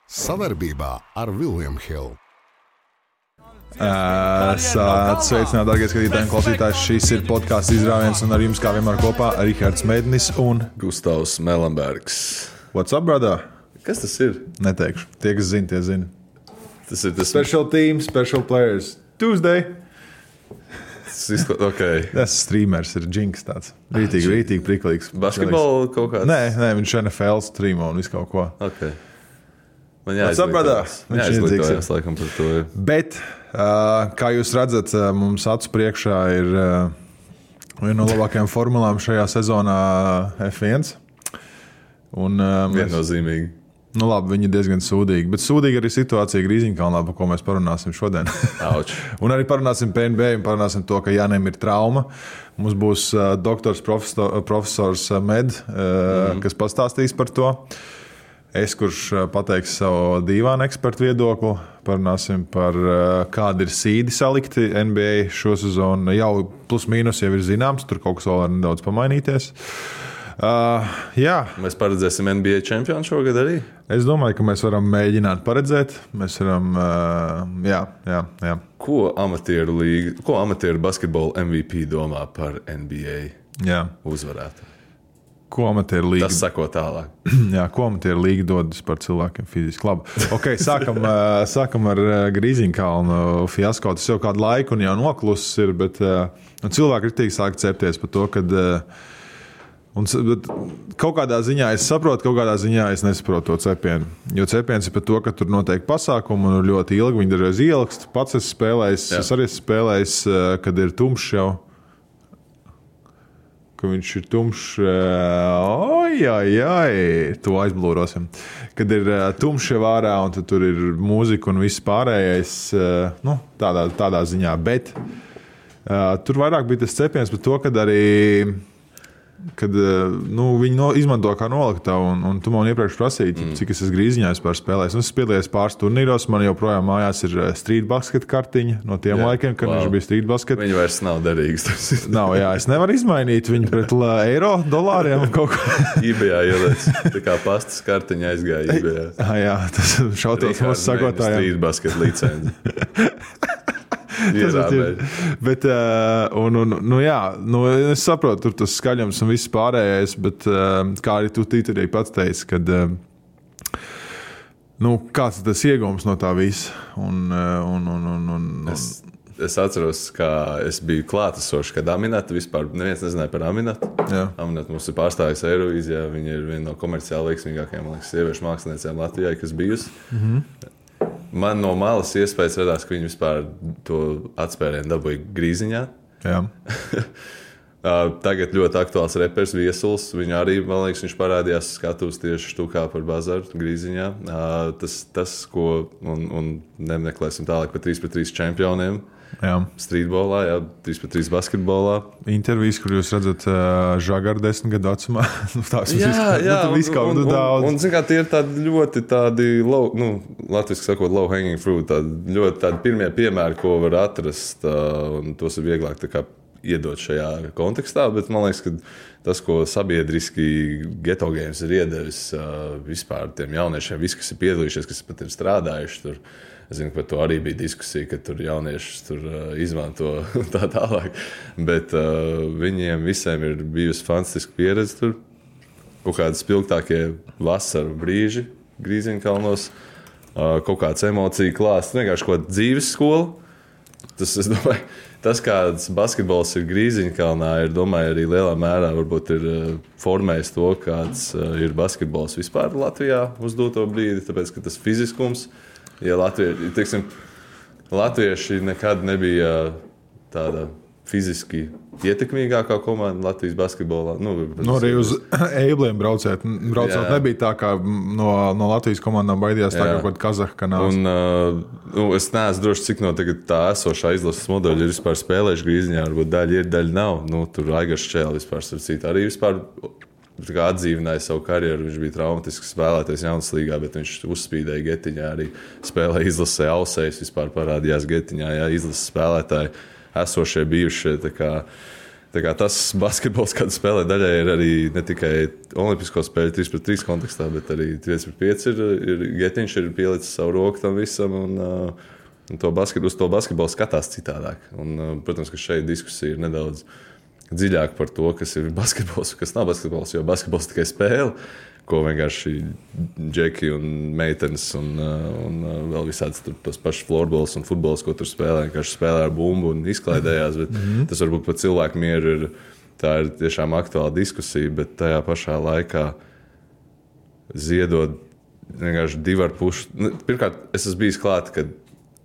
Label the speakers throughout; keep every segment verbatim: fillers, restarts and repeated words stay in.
Speaker 1: Savarbībā ar William Hill.
Speaker 2: Sveicināti, darbie skatītāji un klausītāji. Šis ir podkāsts izrāviens, un ar jums kā vienmēr kopā Rihards Mēdnis un
Speaker 3: Gustavs Melenbergs.
Speaker 2: What's up, brother?
Speaker 3: Kas tas ir?
Speaker 2: Neteikšu. Tie, kas zina, tie zina.
Speaker 3: Tas ir tas
Speaker 2: Special team, special players. Tuesday.
Speaker 3: Tas izkla... okay.
Speaker 2: Tas streamers ir džinks tāds. Rītīgi, ah, rītīgi priklīgs.
Speaker 3: Basketbolu kaut kāds?
Speaker 2: Nē, nē, viņš N F L streamo un visu kaut ko.
Speaker 3: Okay. Man
Speaker 2: jāizglītojās.
Speaker 3: Man jāizglītojās, laikam, par to.
Speaker 2: Bet, uh, kā jūs redzat, mums acu priekšā ir uh, viena no labākajām formulām šajā sezonā F viens. Un, uh, mēs...
Speaker 3: Viennozīmīgi.
Speaker 2: Nu labi, viņi ir diezgan sūdīgi, bet sūdīga arī situācija Grīziņkalnā, par ko mēs parunāsim šodien. Un arī parunāsim par N B A un parunāsim to, ka Jānim ir trauma. Mums būs uh, doktors profesor, profesors Med, uh, mm-hmm. kas pastāstīs par to. Es, kurš pateiks savu dīvānu ekspertu viedokli, parunāsim par kādi ir sīdi salikti N B A šo sezonu. Jau plus mīnus jau ir zināms, tur kaut kas vēl var nedaudz pamainīties. Uh, jā.
Speaker 3: Mēs paredzēsim N B A čempionu šogad arī?
Speaker 2: Es domāju, ka mēs varam mēģināt paredzēt. Mēs varam, uh, jā, jā, jā.
Speaker 3: Ko amatieru līga, ko amatieru basketbola M V P domā par N B A
Speaker 2: jā.
Speaker 3: uzvarētu?
Speaker 2: Ko amatieru līga?
Speaker 3: Tas sako tālāk.
Speaker 2: Jā, ko amatieru līga dodas par cilvēkiem fiziski. Labi. Ok, sākam, sākam ar Grīziņkalnu fiasko. Tas jau kādu laiku un jau noklusis ir, bet un cilvēki ritīgi sāk cepties par to, kad un, kaut kādā ziņā es saprotu, kaut kādā ziņā es nesaprotu to cepienu. Jo cepiens ir par to, ka tur notiek pasākumu un ļoti ilgi viņi dažreiz ielakst. Pats esmu spēlējis, Jā. es arī esmu spēlējis, kad ir tumšs jau. Ka viņš ir tumšs, oi, oi, oi, to aizblūrosim. Kad ir tumšs jau ārā un tur ir mūzika un viss pārējais, nu, tādā, tādā ziņā. Bet uh, tur vairāk bija tas cepiens par to, kad arī, kad nu, viņi no, izmanto kā noliktavu, un, un tu man iepriekš prasīji, mm. cik es esmu Grīziņā vispār spēlējis. Es piedalījos pāris turnīros, man joprojām mājās ir street basket kartiņa no tiem jā, laikiem, kad wow. viņš bija street basket.
Speaker 3: Viņi vairs nav derīgs.
Speaker 2: Nav, jā, es nevaru izmainīt viņu pret eiro, dolāriem kaut ko.
Speaker 3: eBayā ieliec, tā kā pastas kartiņa aizgāja eBayā.
Speaker 2: Jā, tas šautos mūsu sagotājiem.
Speaker 3: Street basket licenci.
Speaker 2: bet, un, un, nu jā, nu, es saprotu, tur tas skaļums un viss pārējais, bet kā arī tu tītarī pats teici, kad nu, kāds ir tas iegums no tā visa. Un, un, un, un, un,
Speaker 3: es, es atceros, kā es biju klātesošs, kad Aminata vispār, neviens nezināja par Aminatu. Aminata mums ir pārstāvis Eirovīzijā, viņa ir viena no komerciāli veiksmīgākajām, man liekas, sieviešu māksliniecēm Latvijā, kas bijusi. Mm-hmm. Man no malas iespējas radās, ka viņi vispār to atspērienu dabūja Grīziņā.
Speaker 2: Jā.
Speaker 3: Tagad ļoti aktuāls reperis Viesuls. Viņu arī, man liekas, viņš parādījās skatuves tieši štukā par bazaru Grīziņā. Tas, tas ko, un, un nemeklēsim tālāk par trīs pret trīs čempioniem.
Speaker 2: Jā.
Speaker 3: Streetbolā, jā, trīs pret trīs basketbolā.
Speaker 2: Intervijas, kur jūs redzat uh, Žagaru desmit gadu vecumā. Tās
Speaker 3: jā, jā,
Speaker 2: nu,
Speaker 3: un, un, un, un, un zin kā, tie ir tādi ļoti tādi, low, nu, latviski sakot, low hanging fruit, tādi ļoti tādi pirmie piemēri, ko var atrast, uh, un tos ir vieglāk tā kā iedot šajā kontekstā, bet man liekas, ka tas, ko sabiedriski Ghetto Games ir iedevis uh, vispār tiem jauniešiem, visi, kas ir piedalījušies, kas pat ir strādājuši tur, es zinu, ka par to arī bija diskusija, ka tur jauniešus tur uh, izmanto tā tālāk, bet uh, viņiem visiem ir bijusi fantastiska pieredze tur, kaut kādi spilgtākie vasaru brīži Grīziņkalnos, uh, kaut kāds emociju klāsts, vienkārši kaut kāda dzīves skola. Tas, es domāju, tas, kāds basketbols ir Grīziņkalnā, ir, domāju, arī lielā mērā varbūt ir uh, formējis to, kāds uh, ir basketbols vispār Latvijā uz doto brīdi, tāpēc, ka tas fiziskums, ja latvieši, teiksim, latvieši nekad nebija tāda fiziski ietekmīgākā komanda Latvijas basketbolā. Nu,
Speaker 2: nu arī uz eibliem braucot. Braucot nebija tā, kā no, no Latvijas komandām baidījās tā, kā kaut Kazahkanās.
Speaker 3: Un uh, nu, es neesmu droši, cik no tagad tā esošā izlases modeļa ir vispār spēlējuši Grīziņā. Varbūt daļa ir, daļa nav. Nu, tur Aigars Čēle vispār sarcīt. Arī vispār atdzīvināja savu karjeru. Viņš bija traumatisks spēlētājs jaunas līgā, bet viņš uzspīdēja Getiņā. Arī spēlēja izlasē Ausējs, vispār parādījās Getiņā. Jā, izlases spēlētāji esošie bijušie. Tā kā Tā kā tas basketbols, kad spēlē daļai, ir arī ne tikai olimpisko spēļu trīs pret trīs kontekstā, bet arī pieci pret pieci ir, ir Getiņš ir pielicis savu roku tam visam un, un to basket, uz to basketbolu skatās citādāk. Un, protams, ka šeit diskusija ir nedaudz dziļāk par to, kas ir basketbols, kas nav basketbols, jo basketbols tikai spēle, ko vienkārši džeki un meitenes un, un vēl visāds tur tos pašus floorbols un futbols, ko tur spēlē, vienkārši spēlē ar bumbu un izklaidējās, bet mm-hmm. tas varbūt par cilvēku mieru ir, tā ir tiešām aktuāla diskusija, bet tajā pašā laikā ziedot vienkārši divi ar pušu. Nu, pirmkārt, es esmu bijis klāt, kad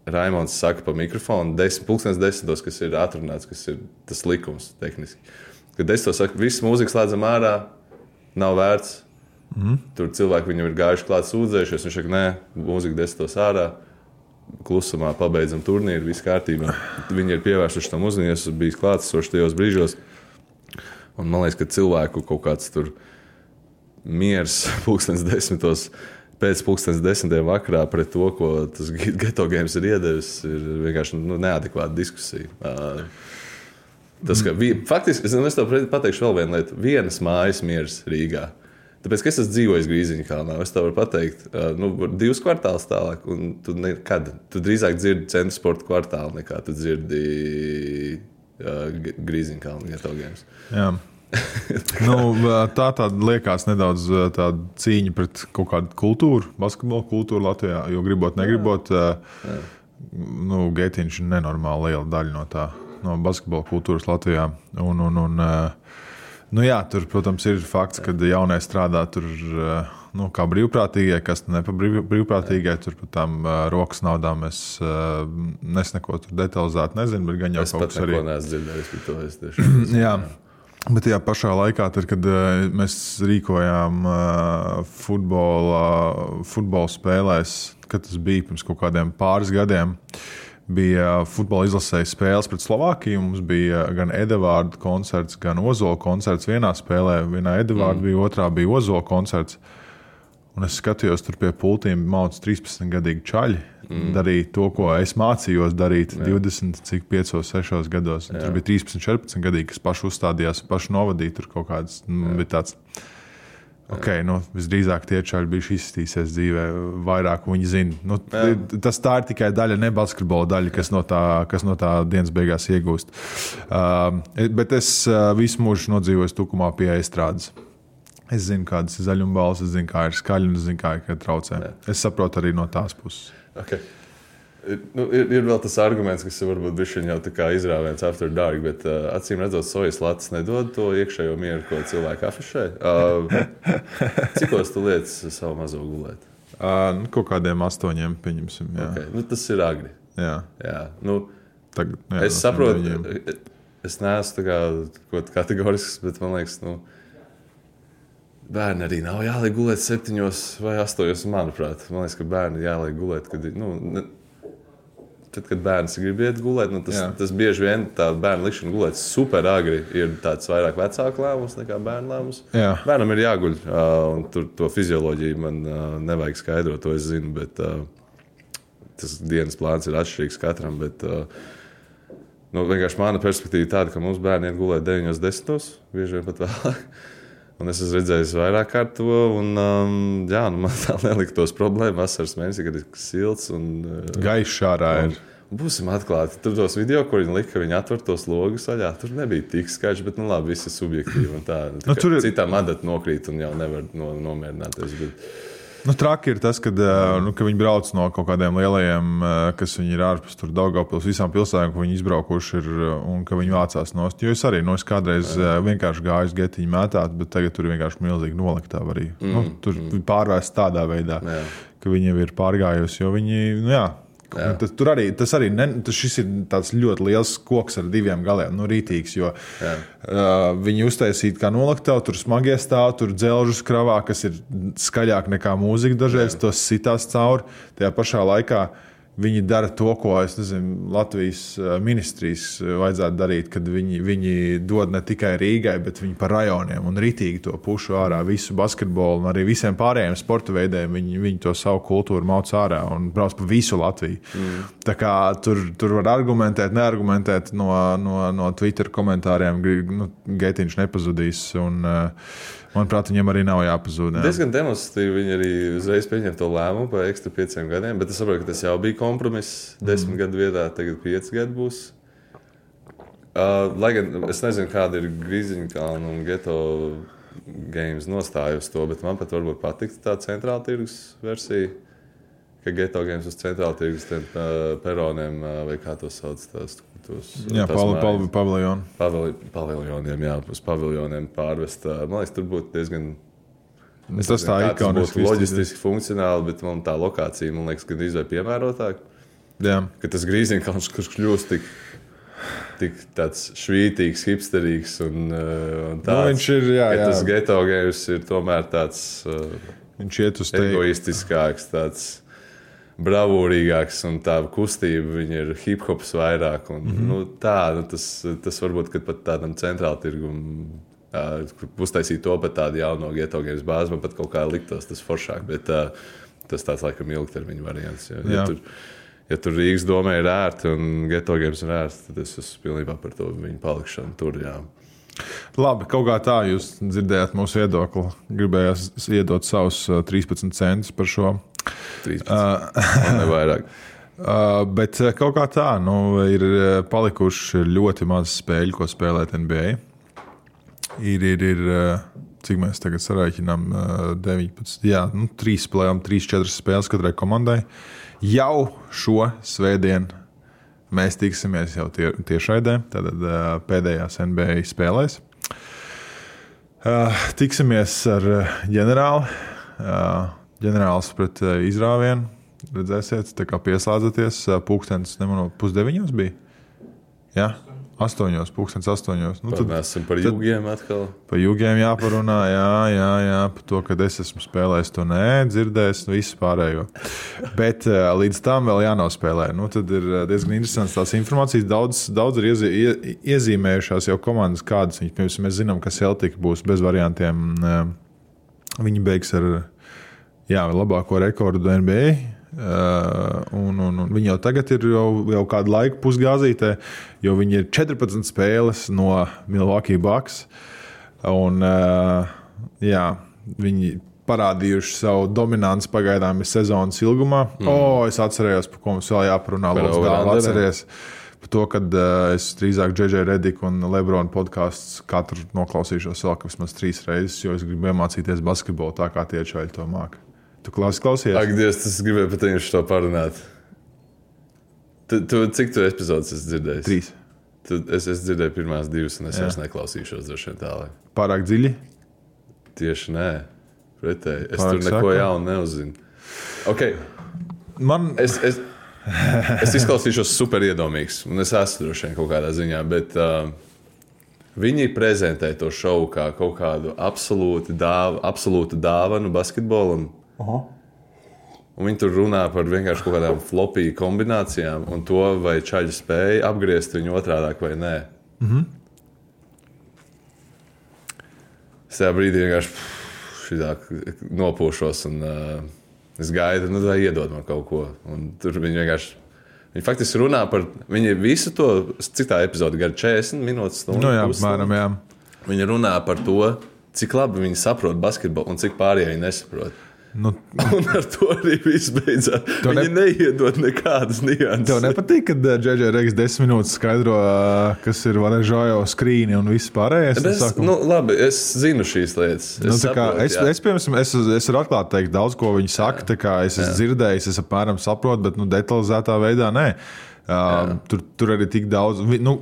Speaker 3: Raimons saka pa mikrofonu, desmit, pulkstens desmitos, kas ir atrunāts, kas ir tas likums tehniski. Kad desmitos saka, viss mūzikas slēdzam ārā, nav vērts. Mm. Tur cilvēki viņam ir gājuši klāt sūdzējušies, viņš saka, nē, mūzika desmitos ārā, klusumā pabeidzam turnīru, viss kārtībā. Viņi ir pievērsuši tam uzmanību, es esmu bijis klātesošs tajos brīžos. Un man liekas, ka cilvēku kaut kāds tur miers pulkstens desmitos, pēc pulkstens desmitiem vakarā pret to, ko tas Geto Games ir iedevis, ir vienkārši nu, neadekvāta diskusija. Uh, tas, ka, vi, faktiski, es, es tev pateikšu vēl vienu lietu. Vienas mājas miers Rīgā. Tāpēc, ka es esmu dzīvojis Grīziņkalnā, es tev varu pateikt, uh, nu, divus kvartālus tālāk, un tu nekad, tu drīzāk dzirdi centra sporta kvartālu, nekā tu dzirdi uh, Grīziņkalnu Geto Games. Jā.
Speaker 2: nu, tā tāda liekas nedaudz tāda cīņa pret kaut kādu kultūru, basketbola kultūru Latvijā, jo gribot, negribot, jā. Jā. Nu, Getiņš ir nenormāli liela daļa no tā, no basketbola kultūras Latvijā. Un, un, un, nu jā, tur, protams, ir fakts, ka jaunie strādā tur, nu, kā brīvprātīgie, kas ne pa brīvprātīgie, tur par tām rokas naudām es nesneko tur detalizēti nezinu, bet gan jau
Speaker 3: es
Speaker 2: kaut kas arī.
Speaker 3: Es pat neko neesmu dzirdējis par to, es tieši.
Speaker 2: Jā. Bet tajā pašā laikā, tad, kad uh, mēs rīkojām uh, futbola, futbola spēlēs, kad tas bija pirms kaut kādiem pāris gadiem, bija futbola izlasēja spēles pret Slovākiju. Mums bija gan Edevārda koncerts, gan Ozola koncerts vienā spēlē. Vienā Edevārda mm. bija, otrā bija Ozola koncerts. Un es skatījos tur pie pultīm, mauc trīspadsmitgadīgi čaļi. Mm. Darīja to, ko es mācījos darīt jā. divdesmit, cik piecos, sešos gados. Tur bija trīspadsmit, četrpadsmitgadīgi, kas paši uzstādījās, paši novadīja tur kaut kāds. Bija tāds, ok, nu, visdrīzāk tie čaļi bijuši izstīsies dzīvē, vairāk viņi zina. Nu, tas tā ir tikai daļa, ne basketbola daļa, kas no tā, kas no tā dienas beigās iegūst. Uh, bet es uh, visu mūžu nodzīvoju Tukumā pie estrādes. Es zinu, kādas ir zaļumbāles, es zinu, kā ir skaļi, un es zinu, kā ir traucē. Jā. Es saprotu arī no tās puses.
Speaker 3: Okay. Nu, ir, ir vēl tas arguments, kas varbūt bišķiņ jau tā kā izrāviens after dark, bet uh, acīm redzot, sojas latas nedod to iekšējo mieru, ko cilvēki afišē. Uh, cikos tu lietas savu mazo gulēt?
Speaker 2: Uh, nu, kaut kādiem astoņiem, pieņemsim. Jā.
Speaker 3: Okay. Nu, tas ir agri.
Speaker 2: Jā.
Speaker 3: Jā. Nu,
Speaker 2: Tagad, jā,
Speaker 3: es saprotu, es neesmu tā kā kaut kategorisks, bet man liekas, nu, bērni arī nav jāliek gulēt septiņos vai astoņos, manuprāt. Man liekas, ka bērni jāliek gulēt, kad, nu, ne, tad, kad bērns grib iet gulēt, nu, tas, tas bieži vien tā bērna likšana gulēt super agri ir tāds vairāk vecāku lēmums nekā bērnu lēmums. Jā. Bērnam ir jāguļ, un tur to fizioloģiju man nevajag skaidrot, to es zinu, bet tas dienas plāns ir atšķirīgs katram, bet nu, vienkārši mana perspektīva tāda, ka mums bērni iet gulēt deviņos, desmitos, bieži vien pat vēlāk. Un es esmu redzējis vairāk kārt to, un um, jā, nu man tā nelika tos problēmas vasaras mēnesī, kad ir silts un uh,
Speaker 2: gaišs ārā ir.
Speaker 3: Būsim atklāti. Tur tos video, kur viņi lika, viņi atver tos logus vaļā, tur nebija tik skaļš, bet nu labi, viss ir subjektīvi un tā. Nu, tur ir citām adata nokrīt un jau nevar no, nomierināties. Bet...
Speaker 2: Nu, traki ir tas, kad, nu, ka viņi brauc no kaut kādiem lielajiem, kas viņi ir ārpus tur Daugavpils, visām pilsētām, ko viņi izbraukuši ir, un ka viņi vācās nost. Jo es arī, nu, es kādreiz jā. vienkārši gāju uz Getiņu mētāt, bet tagad tur ir vienkārši milzīgi noliktava arī. Mm, nu, tur mm. pārvērst tādā veidā, jā. ka viņi jau ir pārgājusi, jo viņi, nu jā, Tas, tur arī, tas arī ne, tas šis ir tāds ļoti liels koks ar diviem galiem, nu rītīgs, jo uh, viņi uztaisīt kā nolaktavu, tur smagie stāv, tur dzelžus kravā, kas ir skaļāk nekā mūzika dažreiz, tos sitās cauri. Tajā pašā laikā viņi dara to, ko es nezinu, Latvijas ministrijas vajadzētu darīt, kad viņi, viņi dod ne tikai Rīgai, bet viņi par rajoniem un ritīgi to pušu ārā visu basketbolu un arī visiem pārējiem sporta veidiem. Viņi, viņi to savu kultūru mauc ārā un brauc pa visu Latviju. Mm. Tā kā tur, tur var argumentēt, neargumentēt no, no, no Twitter komentāriem. Nu, Geitiņš nepazudīs un manuprāt, viņam arī nav jāpazūd. Jā.
Speaker 3: Diezgan demonstratīvi viņi arī uzreiz pieņem to lēmumu par ekstra pieciem gadiem, bet es saprotu, ka tas jau bija kompromiss. Desmit mm. gadu vietā, tagad pieci gadi būs. Uh, lai gan es nezinu, kāda ir Grīziņkalna un Geto Games nostāja uz to, bet man pat varbūt patiktu tā centrāla tirgus versija, ka Geto Games uz centrāla tirgus tiem uh, peroniem, uh, vai kā to sauc, tās, tos,
Speaker 2: jā, paviljoni. Paviljoni.
Speaker 3: Paviljoniem, jā, uz paviljoniem pārvest. Man liekas, tur būtu diezgan...
Speaker 2: Es tas tā ikoniski
Speaker 3: būtu loģistiski funkcionāli, bet man tā lokācija, man liekas, gan izvēl piemērotāk.
Speaker 2: Jā.
Speaker 3: Ka tas Grīziņkalns, kurš kļūst tik, tik tāds švītīgs, hipsterīgs un, un tāds.
Speaker 2: Nu, viņš ir, jā, jā.
Speaker 3: Tas Geto Games ir tomēr tāds
Speaker 2: viņš iet uz te...
Speaker 3: egoistiskāks, tāds bravūrīgāks un tā kustība, viņa ir hip-hops vairāk. Un, mm-hmm. nu, tā, nu, tas, tas varbūt, kad pat tādam centrāla tirgum uh, uztaisīt to pat tādu jauno Geto Games bāzi, man pat kaut kā liktos tas foršāk, bet uh, tas tāds laikam ilgtermiņa variants. Ja, ja, tur, ja tur Rīgas domē ir ērti un Geto Games ir ērti, tad es esmu pilnībā par to viņu palikšanu tur, jā.
Speaker 2: Labi, kaut kā tā jūs dzirdējāt mūsu viedokli. Gribējās iedot savus trīspadsmit centus par šo.
Speaker 3: trīspadsmit, uh, nevairāk.
Speaker 2: Uh, bet kaut kā tā, nu, ir palikuši ļoti maz spēļu, ko spēlēt N B A. Ir, ir, ir cik mēs tagad sarēķinām, deviņpadsmit, jā, nu, trīs spēlējām, trīs, četras spēles katrai komandai. Jau šo svētdienu mēs tiksimies jau tie, tiešraidē, tātad uh, pēdējās N B A spēlēs. Uh, tiksimies ar ģenerāli. Uh, ģenerālis pret uh, izrāvienu. Redzēsiet, tā kā pieslādzaties. Uh, pulkstens, nemanot, pusdeviņos bija? Jā? Astoņos, pulkstens astoņos. Nu, tad,
Speaker 3: mēs esam par jūgiem atkal.
Speaker 2: Par jūgiem jāparunā, jā, jā, jā. Par to, kad es esmu spēlējis to nē, dzirdējis, visu pārējo. Bet uh, līdz tam vēl jānospēlē. Nu, tad ir diezgan interesants tās informācijas. Daudz, daudz ir iezi, ie, iezīmējušās jau komandas, kādas viņas. Piemēram, mēs zinām, ka Celtic būs bez variantiem. Uh, viņi beigs ar jā, labāko rekordu N B A. Uh, un, un, un viņi jau tagad ir jau, jau kādu laiku pusgāzītē, jo viņi ir četrpadsmit spēles no Milwaukee Bucks. Un, uh, jā, viņi parādījuši savu dominanci pagaidām sezonas ilgumā. Mm. O, es atcerējos, par ko mums vēl jāparunā. Atceries par to, kad uh, es drīzāk J J Redick un LeBron podcasts katru noklausīšos vēl, ka vismaz trīs reizes, jo es gribu iemācīties basketbolu tā, kā tie čaļi to māka. Tu klausies?
Speaker 3: Ak, Dievs, tas gribēju pat viņus to parunāt. Tu, tu, cik tu epizodes esi dzirdējis?
Speaker 2: Trīs.
Speaker 3: Tu, es, es dzirdēju pirmās divas, un es vairs neklausīšos droši vien tālāk.
Speaker 2: Pārāk dziļi?
Speaker 3: Tieši nē. Pretēji. Es
Speaker 2: Pārāk
Speaker 3: tur neko
Speaker 2: saka.
Speaker 3: jaunu neuzzinu. Ok.
Speaker 2: Man...
Speaker 3: Es, es, es izklausīšos super iedomīgs, un es esmu droši vien kaut kādā ziņā, bet uh, viņi prezentē to šovu kā kaut kādu absolūtu dāvanu, absolūtu dāvanu basketbolam. Aha. Un viņi tur runā par vienkārši kaut kādām flopī kombinācijām un to, vai čaļi spēja apgriezt viņu otrādāk vai nē.
Speaker 2: Mhm.
Speaker 3: Es tajā brīdī vienkārši šitāk nopūšos un uh, es gaidu, nu vai iedod man kaut ko. Un tur viņi vienkārši, viņi faktiski runā par, viņi visu to, cik tā epizode gar četrdesmit minūtes stundu.
Speaker 2: Nu jā, mēram, jā.
Speaker 3: Viņi runā par to, cik labi viņi saprot basketbolu un cik pārējie viņi nesaprot.
Speaker 2: Nu,
Speaker 3: un ar to arī viss beidzās. Viņi ne... neiedod nekādas nianses.
Speaker 2: Tev nepatīk, kad J J Redick desmit minūtes skaidro, kas ir Varežojo skrīni un viss pārējais?
Speaker 3: Es, nu, labi, es zinu šīs lietas. Es,
Speaker 2: nu,
Speaker 3: saprotu,
Speaker 2: kā, es, es, piemēram, es, es varu atklāt teikt daudz, ko viņi saka. Tā kā es esmu dzirdējis, es apmēram saprotu, bet nu, detalizētā veidā nē. Uh, tur, tur arī tik daudz, nu,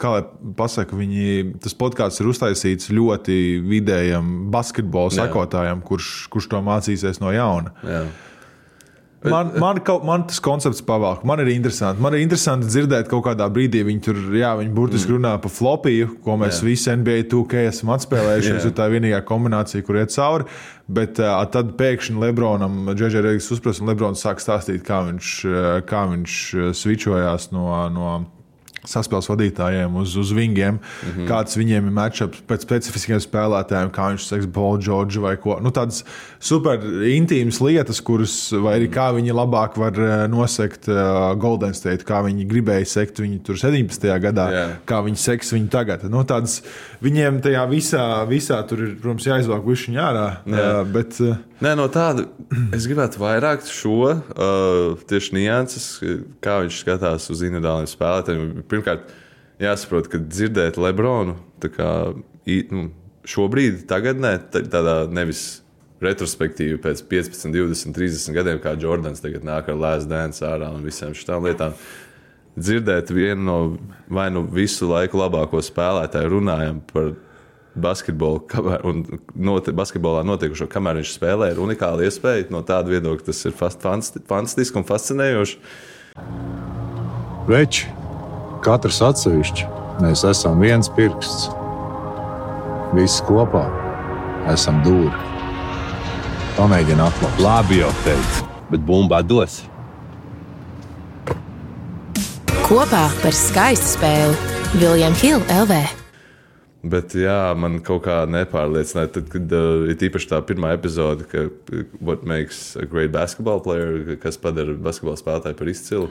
Speaker 2: kā lai pasaka, viņi, tas podkāsts ir uztaisīts ļoti vidējam basketbola sekotājam, kurš, kurš to mācīsies no jauna.
Speaker 3: Jā.
Speaker 2: Man, man, kaut, man tas koncepts pavalk. Man ir interesanti. Man ir interesanti dzirdēt, kaut kādā brīdī viņi tur, jā, viņi burtiski mm. runā par flopiju, ko mēs jā. Visi N B A two K esam atspēlējuši. Tas ir tā vienīgā kombinācija, kur iet cauri. Bet uh, tad pēkšņi Lebronam, J J Rediks uzprast, un Lebrons sāk stāstīt, kā viņš, kā viņš svičojās no... no saspēles vadītājiem uz, uz vingiem, mm-hmm. kāds viņiem ir matchups pēc specifiskiem spēlētājiem, kā viņš seks Paul George vai ko. Nu, tādas super intīmas lietas, kuras, vai arī kā viņi labāk var nosekt uh, Golden State, kā viņi gribēja sekt viņu tur sedemnīstajā gadā, yeah. kā viņi seks viņu tagad. Nu, tādas, viņiem tajā visā, visā tur ir, protams, jāizvāk višķiņ ārā, yeah. uh, bet... Uh,
Speaker 3: Nē, no tāda es gribētu vairāk šo uh, tieši nianses, kā viņš skatās uz individuāliem spēlētājiem. Pirmkārt, jāsaprot, ka dzirdēt Lebronu tā kā, nu, šobrīd, tagadnē, tādā nevis retrospektīvi pēc piecpadsmit, divdesmit, trīsdesmit gadiem, kā Jordans tagad nāk ar Last Dance ārā un visām šitām lietām. Dzirdēt vienu no vai nu visu laiku labāko spēlētāju runājam par basketbolu un note, basketbolā notiekušo, kamēr viņš spēlē, ir unikāla iespēja. No tāda viedokļa tas ir fantastiski un fascinējoši.
Speaker 4: Veči, katrs atsevišķi, mēs esam viens pirksts. Visi kopā esam dūri. Pamēģini atklāt.
Speaker 5: Labi jau teicu, bet bumbā dos.
Speaker 6: Kopā par skaistu spēli William Hill L V.
Speaker 3: Bet jā, man kaut kā nepārliecināja, tad, kad uh, ir īpaši tā pirmā epizode, ka what makes a great basketball player, kas padara basketbola spēlētāju par izcilu.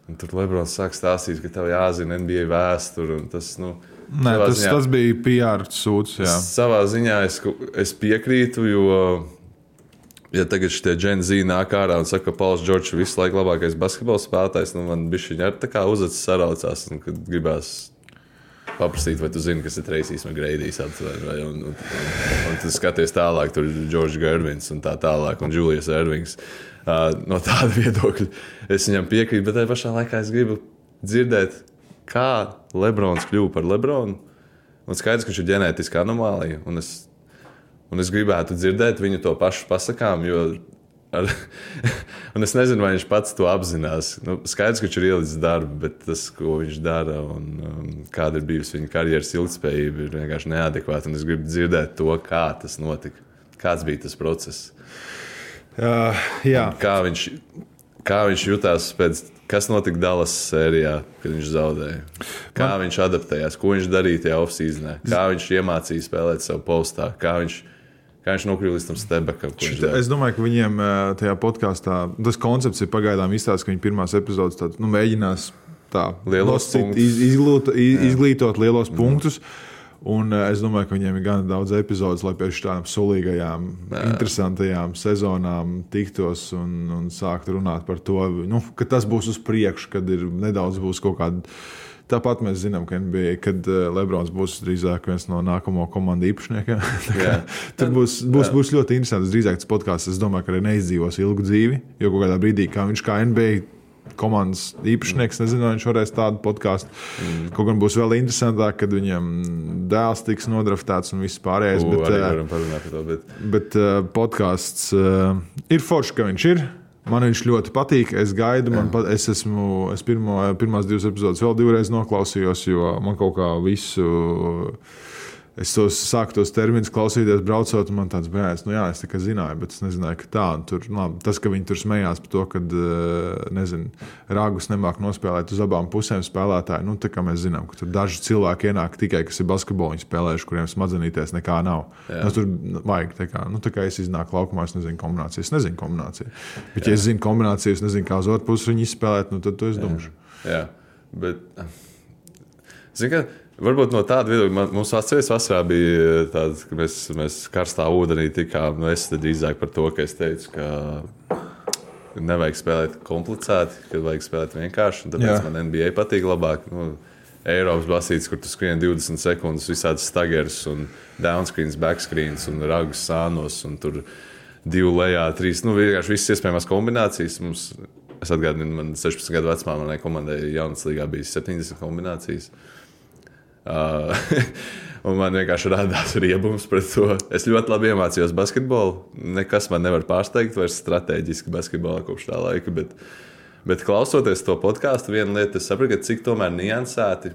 Speaker 3: Un tur Lebrons sāk stāstīt, ka tev jāzina N B A vēsturi, un tas, nu...
Speaker 2: Nē, tas, ziņā, tas bija P R sūds, jā.
Speaker 3: Savā ziņā es, es piekrītu, jo, ja tagad šitie Gen Z nāk ārā un saka, ka Pauls Džordžs visu laiku labākais basketbola spēlētājs, nu man bišķiņi ar tā kā uzacis saraucās, un kad gribās... paprasīt, vai tu zini, kas ir Tracy's McGrady's aptver, un, un, un, un tu skaties tālāk, tur ir George Gervins un tā tālāk, un Julius Ervings. Uh, no tāda viedokļa es viņam piekrītu, bet tajā pašā laikā es gribu dzirdēt, kā Lebrons kļuva par Lebronu. Un skaidrs, ka viņš ir ģenētiska anomālija, un es, un es gribētu dzirdēt viņu to pašu pasakām, jo ar, un es nezinu, vai viņš pats to apzinās. Nu, skaidrs, ka viņš ir ielicis darbu, bet tas, ko viņš dara un um, kāda ir bijusi viņa karjeras ilgtspējība, ir vienkārši neadekvāta. Un es gribu dzirdēt to, kā tas notika. Kāds bija tas process?
Speaker 2: Uh, jā.
Speaker 3: Kā viņš, kā viņš jutās pēc, kas notika Dallas sērijā, kad viņš zaudēja? Kā Man... viņš adaptējās? Ko viņš darīja tajā off-seasonē? Kā viņš iemācīja spēlēt savu postā? Kā viņš... Kā viņš nokļuva līdz tam stebekam?
Speaker 2: Es domāju, ka viņiem tajā podkāstā tas koncepts ir pagaidām izstāsts, ka viņi pirmās epizodes tād, nu, mēģinās tā, noscīt, iz, izglītot, izglītot lielos Jā. Punktus. Un es domāju, ka viņiem ir gan daudz epizodes, lai pēc tādām sulīgajām, Jā. Interesantajām sezonām tiktos un, un sākt runāt par to, nu, ka tas būs uz priekšu, kad ir nedaudz būs kaut kāda. Tāpat mēs zinām, ka N B A, kad Lebrons būs drīzāk viens no nākamo komandu īpašniekiem. Tur būs, būs, būs ļoti interesants. Drīzāk tas podkāsts, es domāju, ka arī neizdzīvos ilgu dzīvi, jo kaut kādā brīdī, kā viņš kā N B A komandas īpašnieks, nezinu, vai viņš varēs tādu podkāstu. Mm. Kaut gan būs vēl interesantāk, kad viņam dēls tiks nodraftēts un viss pārējais.
Speaker 3: U,
Speaker 2: bet,
Speaker 3: arī varam parunāt par to, bet...
Speaker 2: bet uh, podkāsts uh, ir forši, ka viņš ir. Man viņš ļoti patīk. Es gaidu, man pat, es esmu, es pirmo, pirmās divas epizodes vēl divreiz noklausījos, jo man kaut kā visu, es tos sāku tos terminus klausīties, braucot, un man tāds bērns, nu jā, es tikai zināju, bet es nezināju, ka tā, tur, labi, tas, ka viņi tur smējās par to, ka, nezinu, Ragus nemāk nospēlēt uz abām pusēm spēlētāji, nu, tā kā mēs zinām, ka tur daži cilvēki ienāk tikai, kas ir basketbolu viņi spēlējuši, kuriem smadzenīties nekā nav. Nu, tur vajag, tā kā, nu, tā kā es iznāku laukumā, es nezinu kombināciju, es nezinu kombināciju. Bet, ja es zinu kombināciju, es nezinu, kā uz otru pusi viņi izspēlēt, nu, tad to es domāšu.
Speaker 3: Jā, bet, zinu, ka varbūt no tāda viedokļa mums atceries vasarā bija tāds, ka mēs, mēs karstā ūdenī tikām, nu es drīzāk par to, ka es teicu, ka nevajag spēlēt komplicēti, ka vajag spēlēt vienkārši, un tāpēc Jā. Man N B A patīk labāk. Nu, Eiropas basītes, kur tu skrien divdesmit sekundes, visādas staggers un downscreens, backscreens un ragus sānos, un tur divu lejā, trīs, nu vienkārši visas iespējamās kombinācijas. Mums, es atgādinu, man sešpadsmit gadu vecumā manai komandai jaunas līgā bija septiņdesmit kombinācijas. Uh, Un man vienkārši radās riebums pret to. Es ļoti labi iemācījos basketbolu. Nekas man nevar pārsteigt vairs strateģiski basketbolā kopš tā laika. Bet, bet klausoties to podkāstu, viena lieta, es sapratu, cik tomēr niansēti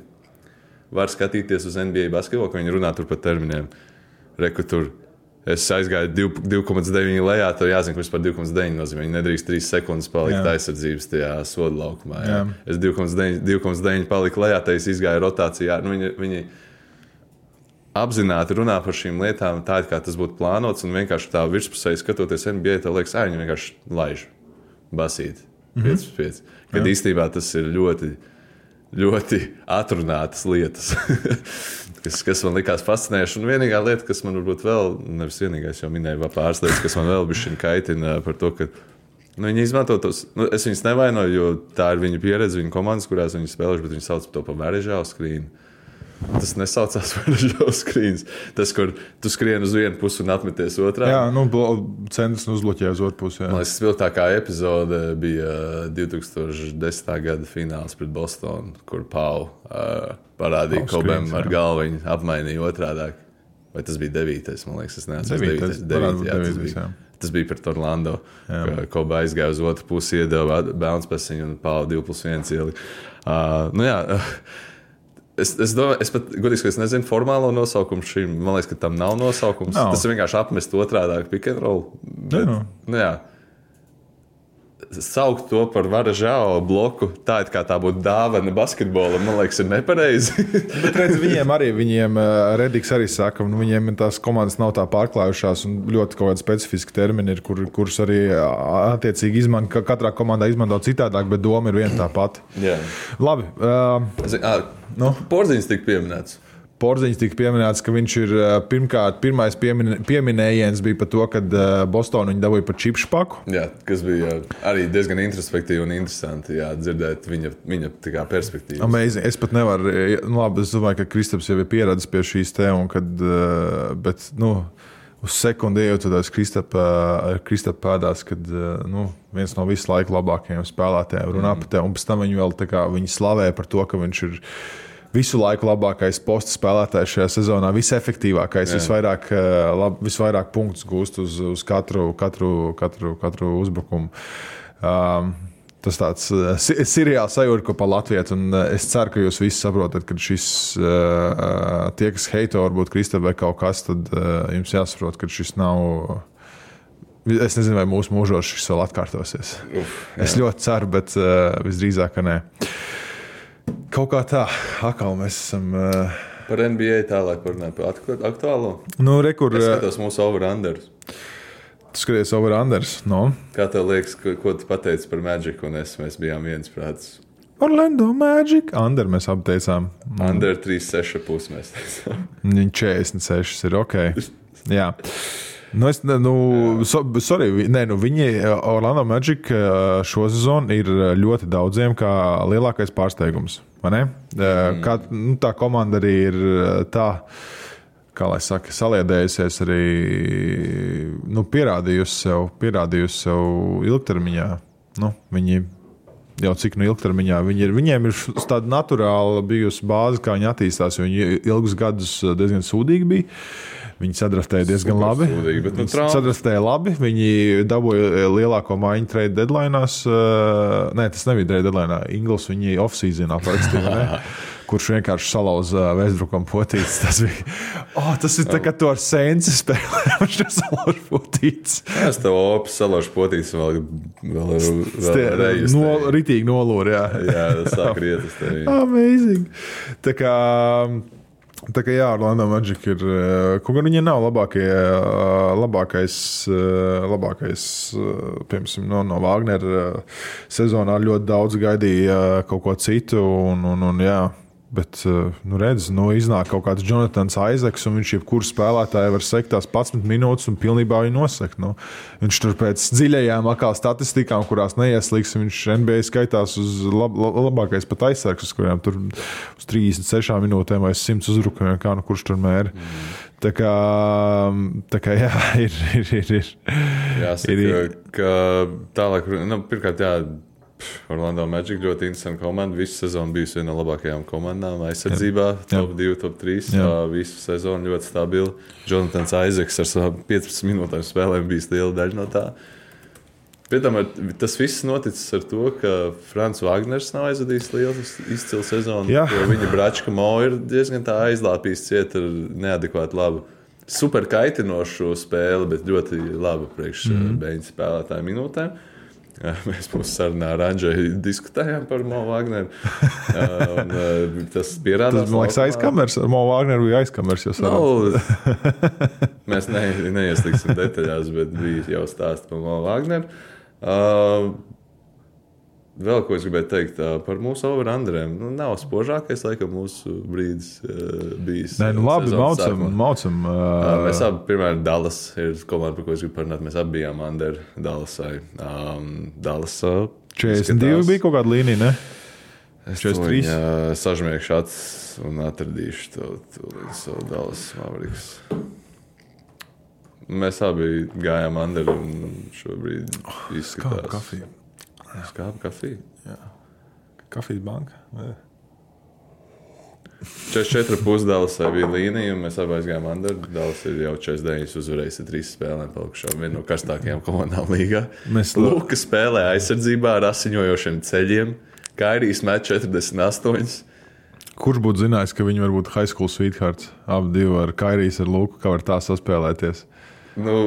Speaker 3: var skatīties uz N B A basketbolu, ka viņi runā tur par terminiem. Reku tur. Es aizgāju divi komats deviņi lejā, tad jāzina, ka vispār divi komats deviņi nozīmē. Viņi nedrīkst trīs sekundes palikt jā. aizsardzības tajā soda laukumā. Jā. Jā. Es divi komats deviņi paliku lejā, tad es izgāju rotācijā. Nu, viņi, viņi apzināti runā par šīm lietām tā, kā tas būtu plānots, un vienkārši tā virspusēji skatoties N B A, tā liekas, ā, viņi vienkārši laiž basīt pieci pret pieci. Kad jā. īstenībā tas ir ļoti... ļoti atrunātas lietas, kas, kas man likās fascinējoši. Un vienīgā lieta, kas man varbūt vēl, nevis vienīgais, jau minēju vēl pāris lietas, kas man vēl bišķiņ kaitina par to, ka nu, viņi izmanto tos, nu, es viņus nevainoju, jo tā ir viņa pieredze, viņa komandas, kurās viņi spēlējuši, bet viņi sauc to par verežālu skrīnu. Tas nesaucās verežālu skrīns. Tas, kur tu skrien uz vienu pusi un atmeties otrā.
Speaker 2: Jā, nu, centrs uzbloķē uz otru pusi. Jā.
Speaker 3: Man liekas, spilgtākā epizode bija divi tūkstoši desmitā gada fināls pret Bostonu, kur Pau uh, parādīja Kobem ar galvu, viņi apmainīja otrādāk. Vai tas bija devītais, man liekas, es neatceros.
Speaker 2: Devītais, devītais, jā, tas bija.
Speaker 3: Tas bija pret Orlando, ka Kobe aizgāja uz otru pusi, iedeva bounce pasiņu un Pau divi plus viens ielika. Uh, nu jā, uh, Es, es domāju, es pat, godīgi, ka es nezinu formālo nosaukumu šim. Man liekas, ka tam nav nosaukums. Nav. Tas ir vienkārši apmest otrādāk pick and roll. Bet, jā. Nu jā. Saukt to par varažāo bloku, tā it kā tā būtu dāvana basketbolam, man liekas, ir nepareizi.
Speaker 2: Bet redz, viņiem arī, viņiem Rediks arī saka, un viņiem tās komandas nav tā pārklājušās, un ļoti kaut kādi specifiski termini ir, kur, kurus arī attiecīgi izmanto, katrā komandā izmanto citādāk, bet doma ir viena tā pati.
Speaker 3: Jā.
Speaker 2: Labi. Uh,
Speaker 3: Zin, à, nu? Porziņš tika pieminēts.
Speaker 2: Porziņš tika pieminēts, ka viņš ir pirmkārt, pirmais piemin, pieminējiens bija par to, kad Bostonu viņi dabūja par čipšpaku.
Speaker 3: Jā, kas bija arī diezgan introspektīvi un interesanti, jā, dzirdēt viņa, viņa tā perspektīvas.
Speaker 2: Amazing. Es pat nevaru, nu labi, es domāju, ka Kristaps jau ir pieradis pie šīs te, un kad, bet, nu, uz sekundi ejot tādās Kristapa pēdās, kad, nu, viens no visu laiku labākajiem spēlētājiem runā mm. par te, un pēc tam viņi vēl tā kā, viņi slavē par to, ka viņš ir visu laiku labākais posta spēlētājs šajā sezonā, visefektīvākais, visvairāk, lab, visvairāk punktus gūst uz, uz katru, katru, katru, katru uzbrukumu. Um, tas tāds seriāls sajūta, ko pa Latviju, un es ceru, ka jūs visi saprotat, ka šis, uh, tie, kas heito varbūt Kristap vai kaut kas, tad uh, jums jāsaprot, ka šis nav... Es nezinu, vai mūsu mūžos šis vēl atkārtosies. Uf, es ļoti ceru, bet uh, visdrīzāk, ka nē. Kaut kā tā, atkal mēs esam... Uh...
Speaker 3: Par N B A tālāk parunāt, par aktuālo?
Speaker 2: Nu, re, kur...
Speaker 3: Es skatos mūsu over-unders.
Speaker 2: Tu skaties over-unders, no?
Speaker 3: Kā tev liekas, ko, ko tu pateici par Magic, un es, mēs bijām viens prāts?
Speaker 2: Orlando Magic. Under mēs apteicām.
Speaker 3: Under trīs seši pus mēs teicām.
Speaker 2: četrdesmit seši ir ok. Jā. Nu, es, nu, so, sorry, nē, nu, viņi Orlando Magic šo sezonu ir ļoti daudziem kā lielākais pārsteigums, vai ne? Mm. Kā, nu, tā komanda arī ir tā, kā lai saka, saliedējusies arī, nu, pierādījusi sev, pierādījusi sev ilgtermiņā. Nu, viņi jau cik nu ilgtermiņā viņi ir, viņiem ir tāda naturāla bijusi bāze, kā viņi attīstās, jo viņi ilgus gadus diezgan sūdīgi bija. Viņi sadraftēja diezgan labi.
Speaker 3: Sūdīgi, bet, nu,
Speaker 2: viņi sadraftēja labi. Viņi dabūja lielāko maiņu trade deadline'ās. Nē, tas nebija trade deadline'ā. Ingles viņi off-seasonā parakstīja, kurš vienkārši salauza Westbrookam potītes. Tas bija, oh, tas ir tā, ka tu ar Saints spēlē, viņš te salauž potītes.
Speaker 3: Jā, es tev opis salauž potītes vēl, vēl, vēl reizes.
Speaker 2: No, ritīgi nolūri, jā.
Speaker 3: Jā, tas sāk rietas tev.
Speaker 2: Amazing. Tā kā... Tā kā jā, Orlando Magic ir, kaut gan viņi nav labākie, labākais, labākais, piemēram, no, no Wagner sezonā ļoti daudz gaidīja kaut ko citu, un, un, un jā, bet, nu redz, nu iznāk kaut kāds Jonathans Isaacs, un viņš jebkuru spēlētāju var sekt tās padsmit minūtes un pilnībā viņu nosekt, nu. Viņš tur pēc dziļajām akāl statistikām, kurās neieslīgs, viņš N B A skaitās uz lab, labākais pat aizsargs, uz kuriem tur uz trīsdesmit sešām minūtēm vai simts uzbrukumiem, kā nu kurš tur mēri. Mm. Tā kā, tā kā jā, ir, ir, ir, ir.
Speaker 3: Jāsaka, ir, ka tālāk, nu, pirmkārt, jā, Orlando Magic ļoti interesanta komanda. Visu sezonu bijusi viena no labākajām komandām aizsardzībā. Jā. Top divi, top trīs. Visu sezonu ļoti stabili. Jonathans Isaacs ar savām piecpadsmit minūtēm spēlēm bijis liela daļa no tā. Pēc tas viss noticis ar to, ka Frants Wagners nav aizvadījis lielu izcilu sezonu. Jā. Jo viņa Bračka Mo ir diezgan tā aizlāpījis ciet ar neadekvāti labu. Super kaitinošu spēli, bet ļoti labu priekš mm. beņķa spēlētāju minūtēm. Mēs mūsu sarunā ar Andžeju diskutējām par Mo Wagneru. Un, tas pierādās.
Speaker 2: Tas, man liekas, aizkamers. Ar Mo Wagneru bija aizkamers.
Speaker 3: No, mēs ne, neiesliksim detaļās, bet bija jau stāsti par Mo Wagneru. Uh, vēl ko es gribēju teikt uh, par mūsu over-underiem. Nu, nav spožākais, laikam, mūsu brīdis uh, bijis.
Speaker 2: Nē, nu labi, maucam. maucam uh...
Speaker 3: Uh, mēs abi, piemēram, Dallas ir komanda, par ko es gribu parunāt. Mēs abi bijām under Dallasai. Um, Dallas uh,
Speaker 2: četrdesmit divi bija kaut kāda līnija, ne?
Speaker 3: Es četrdesmit trīs. Uh, sažmiekšu acis un atradīšu to, to savu Dallas Mavericks. Mēs abi gājām under un šobrīd izskatās.
Speaker 2: Skāp kafiju.
Speaker 3: Skāpa kafija?
Speaker 2: Jā. Kafijas banka? Jā.
Speaker 3: četrdesmit četri pusdalasai bija līnija, un mēs abi aizgājām under. Dallas ir jau četrdesmit deviņi uzvarējis ar trīs spēlēm palikušām. Viena no karstākajām komandām līgā. Mēs Luka spēlē aizsardzībā ar asiņojošiem ceļiem. Kairijs met četrdesmit astoņi.
Speaker 2: Kurš būtu zinājis, ka viņi var būt high school sweethearts? Abi divi ar Kairijs ar Luku, kā var tā saspēlēties? Nu...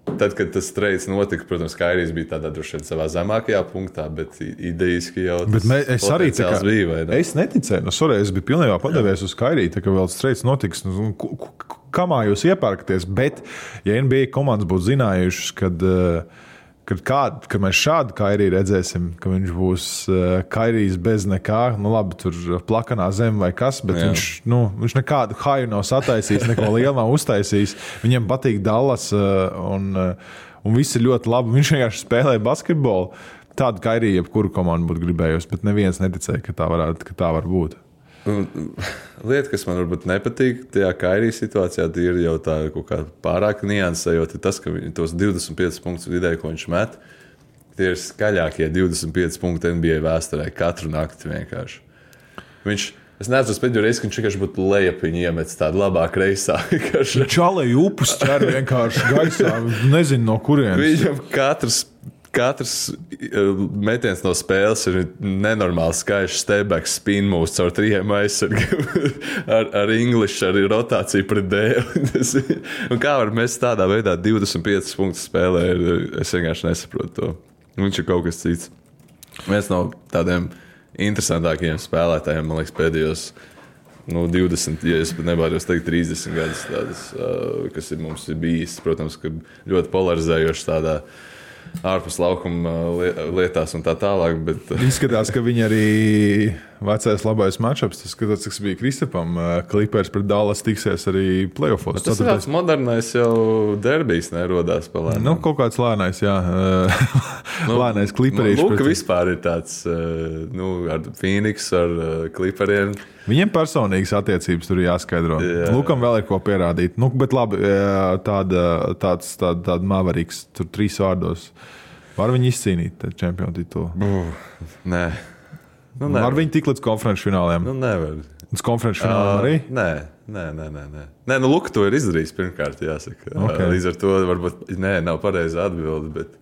Speaker 2: Tad, kad tas streids notika, protams, Kairijs bija tādā droši vien savā zemākajā punktā, bet idejiski jau tas mē, es arī tā kā,
Speaker 3: bija. Vai ne?
Speaker 2: Es neticēju, nu, sorry, es biju pilnībā padevies uz Kairiju, tā kā vēl streids notiks, nu, kamā jūs iepērkaties, bet ja N B A komandas būtu zinājušas, kad, kad, kād, kad mēs šādu Kairiju redzēsim, ka viņš būs Kairijs bez nekā, nu labi, tur plakanā zem vai kas, bet Jā. viņš, nu, viņš nekādu haju nav sataisījis, neko lielu nav uztaisījis. Viņam patīk Dallas un, un viss ir ļoti labi. Viņš vienkārši spēlē basketbolu. Tādu Kairiju jebkuru komandu būtu gribējusi, bet neviens neticēja, ka tā, varētu, ka tā var būt.
Speaker 3: Lieta, kas man varbūt nepatīk tajā Kairija situācijā, ir jau tā kaut kā pārāk niansējot, ir tas, ka tos divdesmit piecus punktus vidēji, ko viņš met, tie ir skaļākie divdesmit pieci punkti N B A vēsturē katru nakti vienkārši. Viņš, es neatceros pēdējo reizi, ka viņš vienkārši būtu lejapiņu iemets tādu labāk reisā.
Speaker 2: Čalēji upus ķer vienkārši gaisā, nezinu no kurienes.
Speaker 3: Viņam katrs Katrs metiens no spēles ir nenormāli skaļš step-back spin moves caur trījiem aizsargiem ar, ar English, ar rotāciju pret dēli. Un kā var mest tādā veidā divdesmit piecus punktus spēlē, es vienkārši nesaprotu to. Viņš ir kaut kas cits. Viens no tādiem interesantākajiem spēlētājiem, man liekas, pēdējos nu, divdesmit, ja es pat nebāros teikt trīsdesmit gadus tādas, kas ir mums ir bijis. Protams, ka ļoti polarizējoši tādā ārpus laukuma lietās un tā tālāk. Bet...
Speaker 2: Izskatās, ka viņi arī vecais labais matchups, tas skatās, kas bija Kristapam, Clippers pret Dallas tiksies arī playoffos.
Speaker 3: Tas ir tāds modernais jau derbijs nerodās pa lēnām.
Speaker 2: Nu, kaut kāds lēnais, jā. Nu, lēnais Clipperīši.
Speaker 3: Luka pret... vispār ir tāds, nu, ar Phoenix, ar Clipperiem.
Speaker 2: Viņiem personīgas attiecības tur jāskaidro. Jā. Lukam vēl ir ko pierādīt. Nu, bet labi, tāda, tāds, tāda, tāda Mavericks, tur trīs vārdos. Var viņi izcīnīt čempionu titulu?
Speaker 3: Uh, nē. Nu,
Speaker 2: var viņi tik līdz konferenču fināliem?
Speaker 3: Nu, nevar.
Speaker 2: Līdz konferenču fināliem uh, arī?
Speaker 3: Nē, nē, nē, nē. nē. Nē, nu, Luka to ir izdarījis pirmkārt, jāsaka. Okay. Līdz ar to varbūt, nē, nav pareiza atbilde, bet,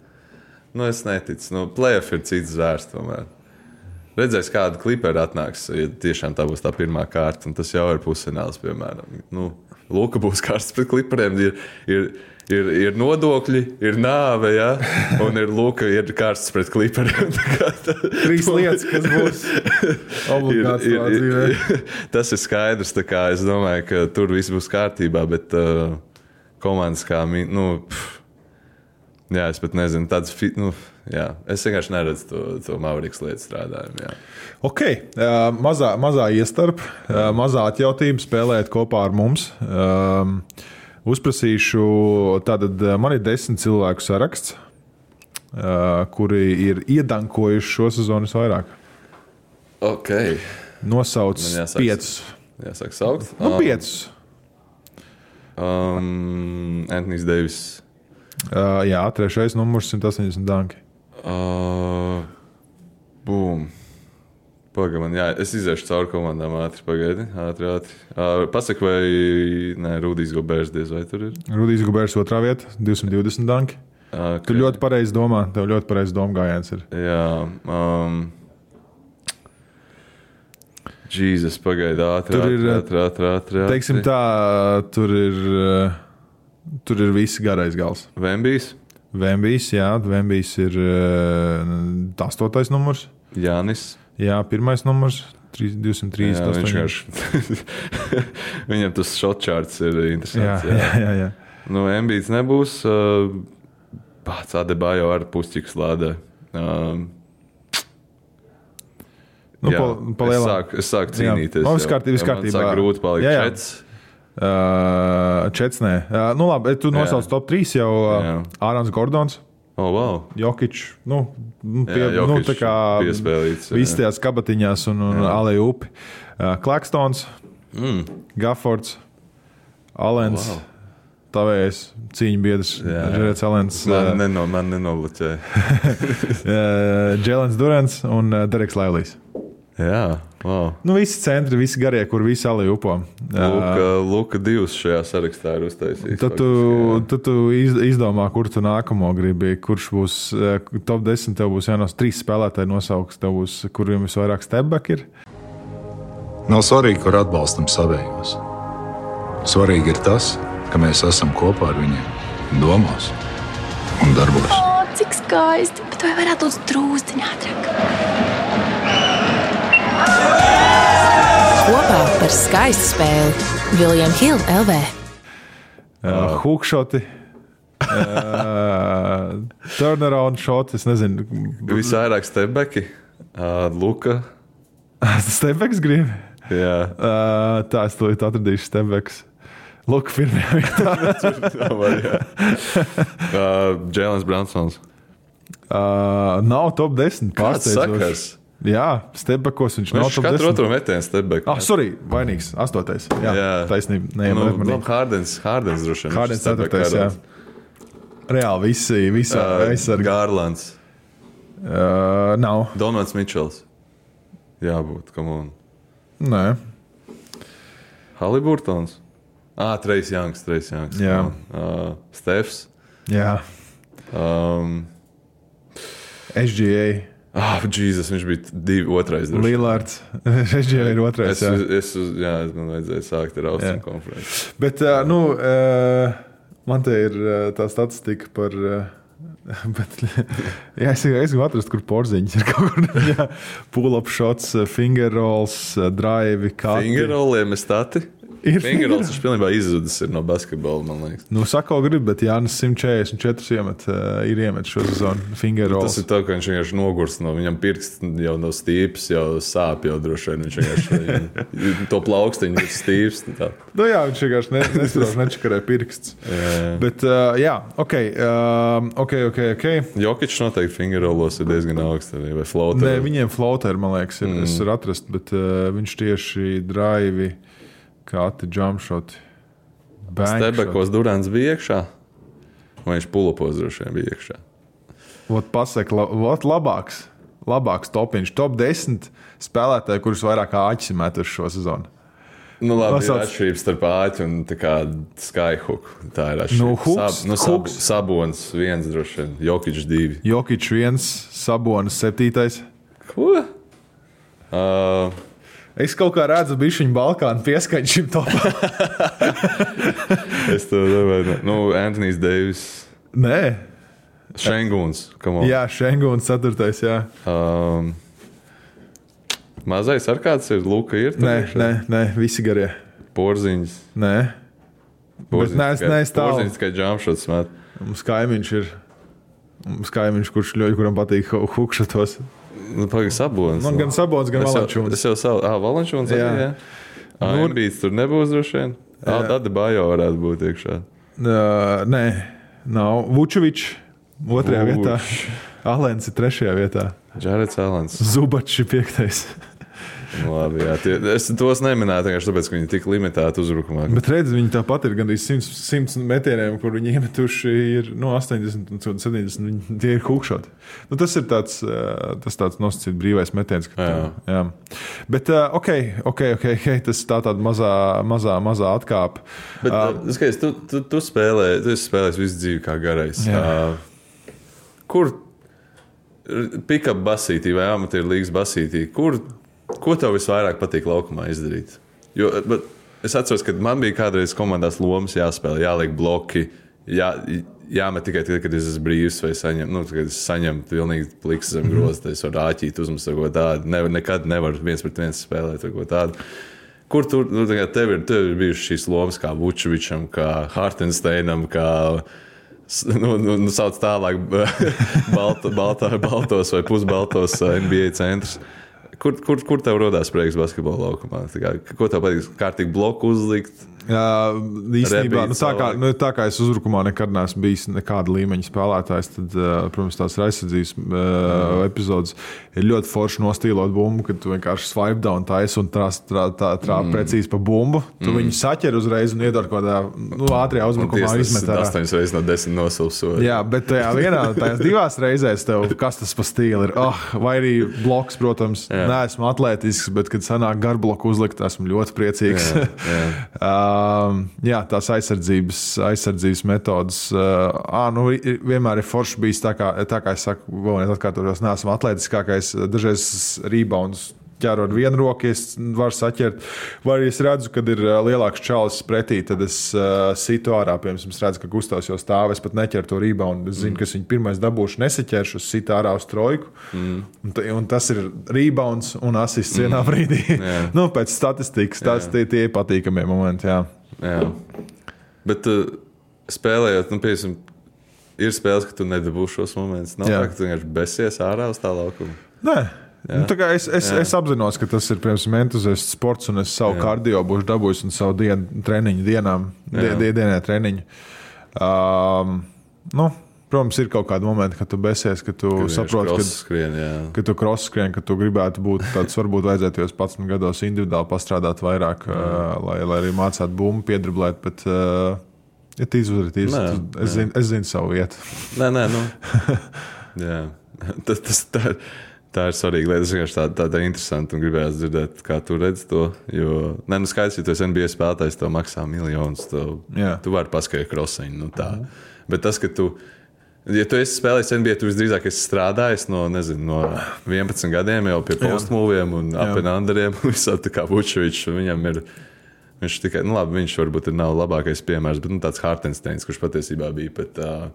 Speaker 3: nu, es neticu. Nu, playoff ir cits zvērs tomēr. Redzēs, kāda Clipperi atnāks, ja tiešām tā būs tā pirmā kārta, un tas jau ir pusfināls, piemēram. Nu, Luka būs kārsts pret Clipperiem, ir, ir, ir, ir nodokļi, ir nāve, ja? Un ir Luka ir kārsts pret Clipperiem.
Speaker 2: Trīs lietas, kas būs obligāts
Speaker 3: ir, ir, ir, tas ir skaidrs, tā kā es domāju, ka tur viss būs kārtībā, bet uh, komandas kā, nu, pff, jā, es pat nezinu, tāds, nu, jā, es vienkārši neredzu to, to Mavericks lietu strādājumu, jā.
Speaker 2: Ok, uh, mazā, mazā iestarp, uh, mazā atjautība spēlēt kopā ar mums. Um, uzprasīšu, tātad man ir desmit cilvēku saraksts, uh, kuri ir iedankojuši šo sezonu visvairāk.
Speaker 3: Ok.
Speaker 2: Nosauc
Speaker 3: jāsāk,
Speaker 2: piecus.
Speaker 3: Jāsāk saukt?
Speaker 2: Nu, um, piecus.
Speaker 3: Um, Anthony's Davis.
Speaker 2: Uh, jā, trešais numurs simt astoņdesmit danki.
Speaker 3: Uh, Pagaid, man, jā, es iziešu cauri komandām ātri, pagaidi, ātri, ātri. Uh, Pasaka, vai, nē, Rudijs Gobērs diez vai tur ir?
Speaker 2: Rudijs Gobērs otrā vieta, divsimt divdesmit danki. Okay. Tu ļoti pareizi domā, tev ļoti pareizi doma gājiens ir.
Speaker 3: Jā, um, Jēzus, pagaidi, ātri,
Speaker 2: tur ir,
Speaker 3: ātri, ātri, ātri, ātri.
Speaker 2: Teiksim tā, tur ir, tur ir visi garais gals.
Speaker 3: Vembijs?
Speaker 2: Vembijs, jā, Vembijs ir uh, astotais numurs.
Speaker 3: Jānis?
Speaker 2: Jā, pirmais numurs, divsimt trīsdesmit
Speaker 3: astoņi. Viņam tas shot charts ir interesants.
Speaker 2: Jā, jā, jā. jā.
Speaker 3: Nu, Embīts nebūs. Uh, pats Adebayo ar pusķiks lādē. Uh,
Speaker 2: nu,
Speaker 3: jā,
Speaker 2: pa, pa
Speaker 3: es, sāku, es sāku cīnīties.
Speaker 2: Jā, viss kārtībā.
Speaker 3: Man sāk grūti palikt jā, jā. čets.
Speaker 2: Uh, čets, nē. Uh, nu, labi, tu nosauc top trīs jau uh, Ārons Gordons.
Speaker 3: Oh, wow.
Speaker 2: Jokič, nu, pie,
Speaker 3: jā, Jokič,
Speaker 2: nu, tā kā
Speaker 3: piespēlīts.
Speaker 2: Visi tajās kabatiņās un, un Alei Upi. Uh, Klakstons,
Speaker 3: mm.
Speaker 2: Gaffords, Alens,
Speaker 3: wow.
Speaker 2: Tavējs, cīņu biedrs, Žerets Alens.
Speaker 3: Man, uh, neno, man nenobloķēja.
Speaker 2: Džēlens Durants un uh, Dereks Lailijs.
Speaker 3: Jā, wow.
Speaker 2: Nu, visi centri, visi garie, kur visi Alei Upo.
Speaker 3: Luka, Luka divs šajā sarakstā ir uztaisījis.
Speaker 2: Tad tu, tad tu izdomā, kur tu nākamo gribi, kurš būs top desmit, tev būs jānos trīs spēlētāji nosauks, tev būs, kuriem visvairāk stepback ir.
Speaker 4: Nav svarīgi, kur atbalstam savējos. Svarīgi ir tas, ka mēs esam kopā ar viņiem domās un darbos.
Speaker 7: O, cik skaisti, bet vai varētu būt drūzdiņā ātrāk?
Speaker 6: Kopā par skaistu spēli William Hill L V.
Speaker 2: Uh, Hookšoti, uh, turnaround šoti, es nezinu.
Speaker 3: Visvairāk stepbacki, uh, Luka.
Speaker 2: Stepbacks gribi?
Speaker 3: Jā.
Speaker 2: Uh, tā, es to atradīšu stepbacks. Luka pirmajā vietā.
Speaker 3: uh, Jēlens Bransons.
Speaker 2: Uh, nav top desmit.
Speaker 3: Kāds sakars?
Speaker 2: Jā, stepbackos viņš nav top desmit.
Speaker 3: Katru otru metienu stepback.
Speaker 2: Ah, sorry, vainīgs, astotais. Jā, jā. Taisnība. Nē,
Speaker 3: nu, nu, Hardens, Hardens droši vien.
Speaker 2: Hardens ceturtais, jā. Reāli visi, visi uh, aizsargi.
Speaker 3: Garlands.
Speaker 2: Uh, nav.
Speaker 3: Donovans Mitčels. Jābūt, come on.
Speaker 2: Nē.
Speaker 3: Haliburtons. Ah, Trejs Jangs, Trejs Jangs.
Speaker 2: Jā.
Speaker 3: Uh, Stefs.
Speaker 2: Jā.
Speaker 3: Um,
Speaker 2: S G A.
Speaker 3: Ah, oh, Jēzus, viņš bija divi, otrais.
Speaker 2: Lillards. S G A ir otrais.
Speaker 3: Es,
Speaker 2: jā.
Speaker 3: Es, es, jā, man vajadzēja sākt ar Austrumu konferenci.
Speaker 2: Bet, uh, nu, uh, man te ir uh, tā statistika par... Uh, bet, jā, es, es gribu atrast, kur porziņas ir kaut kur. Jā, pull-up shots, finger rolls, drive, kati.
Speaker 3: Finger rolliem ir stati?
Speaker 2: Ir
Speaker 3: finger rolls, viņš pilnībā izzudis ir no basketbola, man liekas.
Speaker 2: Nu, sako grib, bet Jānis simt četrdesmit četri iemet, uh, ir iemet šo sezonu finger rolls.
Speaker 3: Tas ir tā, ka viņš vienkārši nogurst no viņam pirksts, jau no stīps, jau sāp jau droši vien. Viņš vienkārši to plaukstiņu ir stīps. Tā.
Speaker 2: Nu jā, viņš vienkārši ne, nesprauž nečakarē pirksts. Bet, uh, jā, ok, uh, ok, ok, ok.
Speaker 3: Jokič noteikti finger rollos ir diezgan augsts, vai floater?
Speaker 2: Nē, viņiem floater, man liekas, ir, mm. es varu atrast, bet uh, viņš tieši drive... Kāti jumpshoti.
Speaker 3: Stebekos Durants bija iekšā? Vai viņš pulopos droši vien bija iekšā?
Speaker 2: Vot pasaka, la, vot labāks. Labāks topiņš. Top desmit spēlētāji, kurus vairāk āķis metuši šo sezonu.
Speaker 3: Nu labi,
Speaker 2: Nosauc...
Speaker 3: ir atšķirības starp āķi un tā kā Skyhook. Tā ir atšķirības.
Speaker 2: Nu, hooks,
Speaker 3: Sab, nu, sab, Sabons viens droši vien. Jokič divi.
Speaker 2: Jokič viens, Sabonis septītais.
Speaker 3: Ko? Uh...
Speaker 2: Es kaut kā redzu, ka bišķiņu Balkānu pieskaņu šim topam.
Speaker 3: Es to domāju. Nu, Anthony's Davis.
Speaker 2: Nē.
Speaker 3: Šenguns.
Speaker 2: Jā, Šenguns ceturtais, jā.
Speaker 3: Um, mazais ar kāds ir? Luka ir?
Speaker 2: Nē, nē, nē, visi garie.
Speaker 3: Porziņas.
Speaker 2: Nē.
Speaker 3: Porziņas,
Speaker 2: nē, es neestāvu.
Speaker 3: Porziņas, kā jumpshots met.
Speaker 2: Mums kaimiņš ir. Mums kaimiņš, kurš ļoti, kuram patīk hukšatos.
Speaker 3: Nu, pagaid, Sabons.
Speaker 2: Man gan Sabons, gan Valančūns.
Speaker 3: Es jau savu, ah, Valančūns arī, jā. Ah, nu, Embīts tur nebūs droši vien. Ah, Adebayo varētu būt iekšā.
Speaker 2: Uh, nē, nav. Vučevičs otrajā
Speaker 3: Vuč.
Speaker 2: vietā. Alens ir trešajā vietā.
Speaker 3: Džarets Alens.
Speaker 2: Zubačs ir piektais.
Speaker 3: Labi, jā, tie, es tos neminēju, tāpēc, ka viņi tik limitēti uzbrukumā.
Speaker 2: Bet redz, viņi tāpat ir gandrīz simts metieniem, kur viņi iemetuši ir no astoņdesmit un septiņdesmit, viņi tie ir hukšoti. Nu, tas ir tāds, tas tāds nosacīt brīvais metiens. Ka jā. Tā, jā. Bet, ok, ok, ok, okay tas tā tāda mazā, mazā, mazā atkāpa.
Speaker 3: Bet, uh, skaties, tu, tu, tu spēlē, tu esi spēlējis visu dzīvi kā garais. Uh, kur pick-up basītī vai amatieru līgas basītī, kur ko tev visvairāk patīk laukumā izdarīt? Jo, es atceros, ka man bija kādreiz komandās lomas jāspēlē, jāliek bloki, jā, jāmet tikai tad, kad es esmu brīvs vai saņem, nu, kad es saņemu pilnīgi pliks zem groza, tad es varu āķīt uzmest vai ko tādu. Ne, nekad nevaru viens pret viens spēlēt vai ko tādu. Kur tur, nu, tev ir, tev ir bijušas šīs lomas kā Vučevičam, kā Hartensteinam, kā, nu, nu, nu sauc tālāk balto, balto, baltos vai pusbaltos N B A centrs. Kur, kur, kur tev rodās prieks basketbola laukumā? Kā, ko tev patīk? Kārtīgi bloku uzlikt?
Speaker 2: Jā, īstenībā, nu, tā, kā, nu, tā kā es uzbrukumā nekad neesmu bijis nekāda līmeņa spēlētājs, tad, uh, protams, tās aizsardzības uh, mm. epizodes ir ļoti forši nostīlot bumbu, kad tu vienkārši swipe down taisi un trāp trā, trā, trā, mm. precīzi pa bumbu. Tu mm. viņu saķer uzreiz un iedod kādā nu, ātrijā uzbrukumā izmet ārā.
Speaker 3: astoņas reizes no desmit nosilsot.
Speaker 2: Jā, bet tajā vienā, tajās divās reizēs tev kas tas pa stīli ir. Oh, vai arī bloks, protams, jā. Neesmu atletisks, bet kad sanāk garbloku uzlikt, esmu ļoti priecīgs. Jā, jā. uh, jā tās aizsardzības, aizsardzības metodas. Uh, ā, nu, vienmēr ir forši bijis tā kā, tā kā es saku, vēl neatkārtotos, neesmu atletiskākais. Dažreiz rebounds ķērot vienu roku, es varu saķert. Vai es redzu, kad ir lielāks čalis pretī, tad es uh, situ ārā, piemēram, es redzu, ka Gustavs jau stāv, es pat neķeru to reboundu. Es zinu, mm. ka viņš pirmais dabūšu nesaķeršu, es situ ārā uz trojku. Mm. Un, t- un tas ir rebounds un asists vienā mm. brīdī. Yeah. Nu, pēc statistikas, tas yeah. tie, tie ir patīkamie momenti, jā.
Speaker 3: Jā. Bet uh, spēlējot, nu, piemēram, ir spēles, ka tu nedabūši šos momentus. Nav jā. Tā, ka tu vienkārši besies ārā uz tā laukuma.
Speaker 2: Nē. Nu, es, es, es apzinos, ka tas ir piemēram entuziasts sports, un es savu jā. Kardio būšu dabūjis un savu dienu, treniņu dienām, die, die, dienē treniņu. Um, nu, protams, ir kaut kādi momenti, kad tu besies, ka tu kad saproti,
Speaker 3: skrien,
Speaker 2: ka tu cross skrien, ka tu gribētu būt tāds, varbūt vajadzētu jau padsmit gados individuāli pastrādāt vairāk, uh, lai, lai arī mācētu bumbu, piedriblēt, bet uh, ja tīs uzvar, tīs, nē, es, zinu, es zinu savu vietu.
Speaker 3: Nē, nē, nu. Jā, tas, tas tā ir. Tā ir svarīga lieta. Es vienkārši tā, tā, tā interesanti un gribēju dzirdēt, kā tu redzi to. Jo, ne, nu skaidrs, ja tu esi N B A spēlētājs, tev maksā miljonus. Tev, tu vari paskaidrot krosiņu. Nu tā. Mm. Bet tas, ka tu, ja tu esi spēlējis N B A, tu visdrīzāk esi strādājis no, nezinu, no vienpadsmit gadiem jau pie postmūviem un up-and-underiem. Visādi tā kā Vučevičs. Viņam ir, viņš tikai, nu labi, viņš varbūt ir nav labākais piemērs, bet nu, tāds Hartensteins, kurš patiesībā bija pat uh,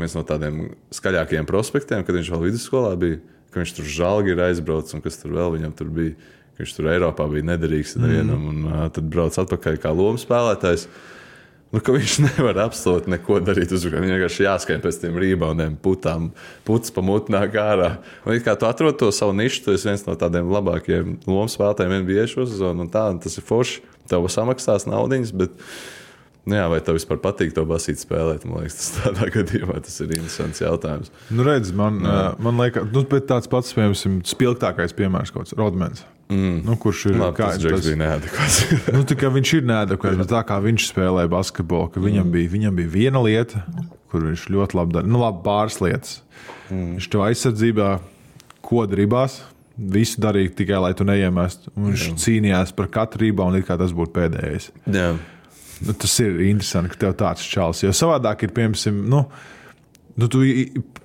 Speaker 3: viens no tādiem skaļākajiem prospektiem, kad viņš vēl vidusskolā bija. Ka viņš tur žalgi ir aizbraucis un kas tur vēl viņam tur bija. Ka viņš tur Eiropā bija nederīgs nevienam mm. un uh, tad brauc atpakaļ kā lomu spēlētājs. Nu, ka viņš nevar absolūti neko darīt uzbrukā. Viņam vienkārši jāskrien pēc tiem reboundiem, putām, puts pa mutnāk ārā. Un it kā tu atrod to savu nišu, tu esi viens no tādiem labākajiem lomu spēlētājiem N B A šo sezonu un tā, un tas ir forši. Tev samaksās naudiņas, bet nu jā, vai tev vispār patīk to basīt spēlēt? Man liekas, tas tādā gadījumā tas ir interesants jautājums.
Speaker 2: Nu, redz, man, uh, man liekas, nu, bet tāds pats, piemēram, spilgtākais piemērs kaut kāds Rodmans. Mm. Nu, kurš ir
Speaker 3: Labi, kā, tas Džeks bija neadekvāts.
Speaker 2: Nu, tā kā viņš ir neadekvāts, bet tā kā viņš spēlēja basketbolu, ka viņam, mm. bija, viņam bija viena lieta, kur viņš ļoti labi darīja. Nu, labi, pāris lietas. Mm. Viņš tev aizsardzībā, ko gribās, visu darīja tikai, lai tu neiemestu. Viņš mm. cīnījās par katru reboundu, it kā tas būtu pēdējais.
Speaker 3: Jā.
Speaker 2: Nu, tas ir interesanti, ka tev tāds čals. Jo savādāk ir, piemēram, nu, nu, tu,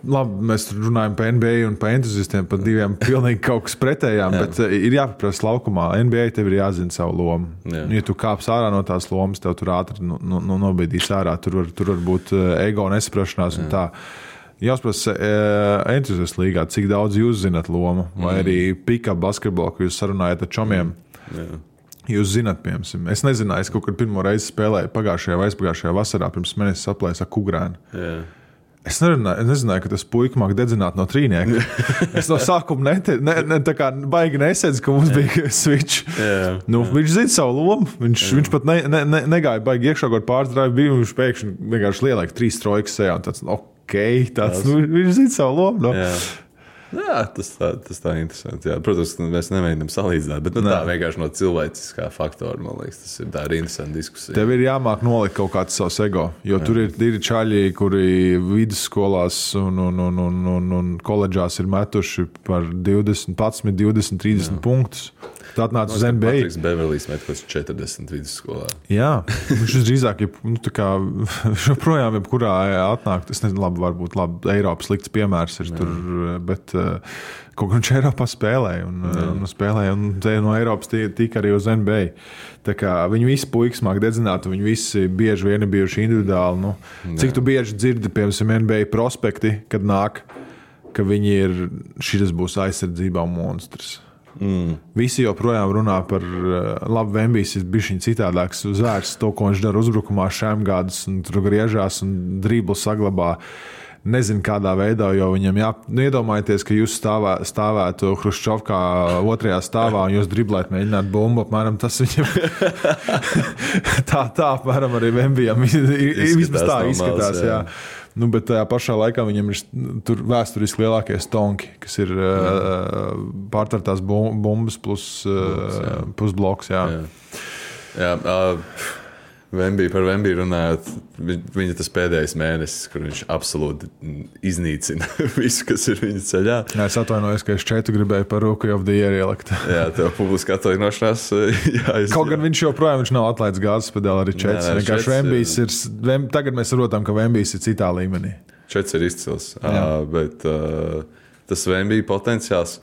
Speaker 2: labi, mēs runājam par N B A un par entuziastiem, par diviem pilnīgi kaut kas pretējām, jā. Bet ir jāpaprasa laukumā. N B A tev ir jāzina savu lomu. Jā. Ja tu kāps ārā no tās lomas, tev tur ātri nu, nu, nu, nobīdīs ārā. Tur var, tur var būt ego nesaprašanās un tā. Jāuzprasa entuziastu līgā, cik daudz jūs zinat lomu, vai mm. arī pick-up basketbolu, ka jūs sarunājat ar čomiem. Jā. Jūs zināt, piemēram, es nezināju, es kaut kad pirmo reizi spēlēju pagājušajā vai aizpagājušajā vasarā, pirms mēnesis aplēs ar Kugrēnu. Yeah. Es nerunāju, nezināju, ka tas puika māk dedzināt no trīnieka. Es no sākuma nete, ne, ne, tā kā baigi nesedzu, ka mums bija switch. Yeah. Nu, yeah. Viņš zina savu lomu, viņš, yeah. viņš pat ne, ne, ne, negāja baigi iekšā, kaut pāris drāvi bija, viņš pēkšņi vienkārši lielāk trīs trojkas sejā, un tāds, ok, tāds, nu, viņš zina savu lomu. No? Yeah.
Speaker 3: Jā, tas tā, tas tā interesanti. Jā. Protams, mēs nemēģinām salīdzināt, bet nu, tā vienkārši no cilvēciskā faktora, man liekas, tas ir tā ir interesanta diskusija.
Speaker 2: Tev ir jāmāk nolikt kaut kāds savs ego, jo jā. Tur ir, ir čaļi, kuri vidusskolās un, un, un, un, un, un koledžās ir metuši par divdesmit, divdesmit, trīsdesmit jā. Punktus. Tā atnāca uz N B A.
Speaker 3: Patriks Beverlijs met kaut četrdesmit vidusskolā.
Speaker 2: Jā, viņš drīzāk, nu, tā kā joprojām jebkurā atnāk, es nezinu, labi, varbūt labi, Eiropas slikts piemērs ir jā. Tur, bet uh, kaut kā viņš Eiropā spēlēja un, un spēlēja un no Eiropas tika arī uz N B A. Tā kā viņi visi puikas māk dedzināt, viņi visi bieži vien ir bijuši individuāli. Nu, cik tu bieži dzirdi, piemēram, N B A prospekti, kad nāk, ka viņi ir, šis būs aizsardzībā monstrs. Mm. Visi joprojām runā par labu Vembijs ir bišķiņ citādāks zvērs, to, ko viņš dara uzbrukumā šēmgādus un tur griežās un driblu saglabā. Nezinu, kādā veidā, jo viņam jā... Nu, iedomājieties, ka jūs stāvē, stāvētu Hruščovkā otrajā stāvā un jūs driblēt mēģināt bumbu, apmēram tas viņam tā, tā, apmēram arī Vembijam vismaz tā izskatās, jā. jā. Nu, bet tajā pašā laikā viņam ir tur vēsturiski lielākie stonki, kas ir uh, pārtartās bumbas plus, uh, plus bloks. Jā, jā.
Speaker 3: jā uh, Vembija par Vembiju runājot, viņa tas pēdējais mēnesis, kur viņš absolūti iznīcina visu, kas ir viņa ceļā.
Speaker 2: Jā, es atvainojos, ka es šeit gribēju par Rookie of the Year ielikt.
Speaker 3: Jā, tev publiski atvainošanās. Jā, es...
Speaker 2: Kaut gan viņš joprojām viņš nav atlaists gāzes pedāli arī Čets. Vienkārši Vembijs ir, Vem, tagad mēs saprotam, ka Vembijs ir citā līmenī.
Speaker 3: Čets ir izcils, uh, bet uh, tas Vembija potenciāls,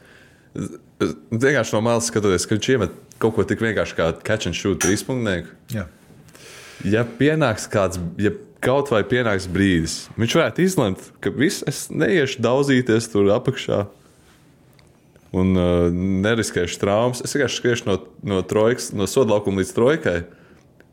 Speaker 3: vienkārši no malas skatoties, ka viņš iemet kaut ko tik vienkārši kā catch and shoot trīspunktnieku. Jā. Ja pienāks kāds, ja kaut vai pienāks brīdis, viņš varētu izlemt, ka viss, es neiešu daudzīties tur apakšā un uh, neriskēšu traumas. Es vienkārši skriešu no, no, trojkas, no sodlaukuma līdz trojkai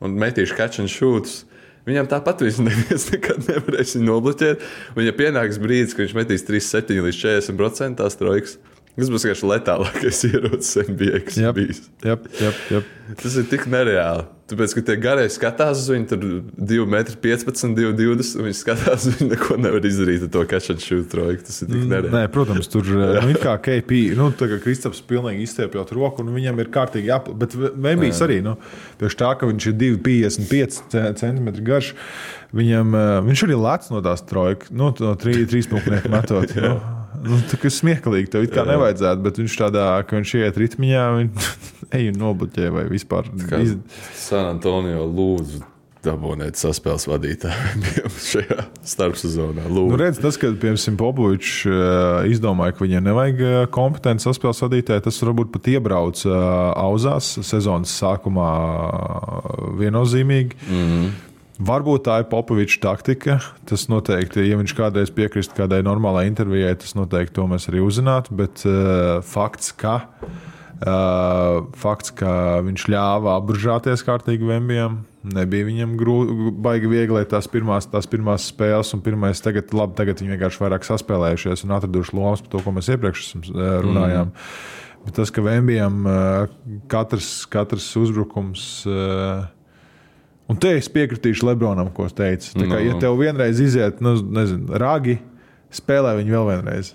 Speaker 3: un metīšu catch and shootus. Viņam tāpat viņš neviens nekad nevarēs viņu nobloķēt. Un ja pienāks brīdis, ka viņš metīs trīsdesmit septiņi līdz četrdesmit procenti tās trojkas, tas būs vienkārši letālākais ierocis N B A, kas
Speaker 2: yep,
Speaker 3: bijis.
Speaker 2: Yep, yep, yep.
Speaker 3: Tas ir tik nereāli. Tāpēc, ka tie garie skatās uz viņu, tur divi metri piecpadsmit, divi divdesmit, un viņi skatās uz viņu, neko nevar izdarīt ar to catch and shoot trojku. Tas ir tik nereāli. Nē,
Speaker 2: protams, tur nu, ir kā K P, nu, tā kā Kristaps pilnīgi izstiepjot roku, un viņam ir kārtīgi jāpl... Bet Vembijs arī, nu, tieši tā, ka viņš ir divi piecdesmit pieci centimetri garš, viņam, viņš arī lēc no tās trojkas, nu, no trīs punktnieku metot, nu. Nu, tā kā smieklīgi, tev it kā jā. Nevajadzētu, bet viņš tādā, ka viņš iet ritmiņā, viņš ej un nobloķē vai vispār.
Speaker 3: Iz... San Antonio lūdzu dabonēt saspēles vadītāju šajā starpsezonā.
Speaker 2: Nu, redz, tas, ka, piemēram, Popovičs izdomāja, ka viņiem nevajag kompetenti saspēles vadītāju, tas varbūt pat iebrauc auzās sezonas sākumā viennozīmīgi. Mm-hmm. Varbūt tā ir Popoviča taktika. Tas noteikti, ja viņš kādreiz piekrist kādai normālai intervijai, tas noteikti to mēs arī uzzinātu, bet uh, fakts, ka, uh, fakts, ka viņš ļāva apburžāties kārtīgi Vembijam, nebija viņam grū, baigi viegli tās pirmās, tās pirmās spēles un pirmais tagad, labi, tagad viņi vienkārši vairāk saspēlējušies un atraduši lomas par to, ko mēs iepriekš runājām. Mm. Bet tas, ka Vembijam uh, katrs, katrs uzbrukums... Uh, Un te es piekritīšu Lebronam, ko es teicu. Tā kā, no. Ja tev vienreiz iziet, nu, nezinu, ragi, spēlē viņu vēl vienreiz.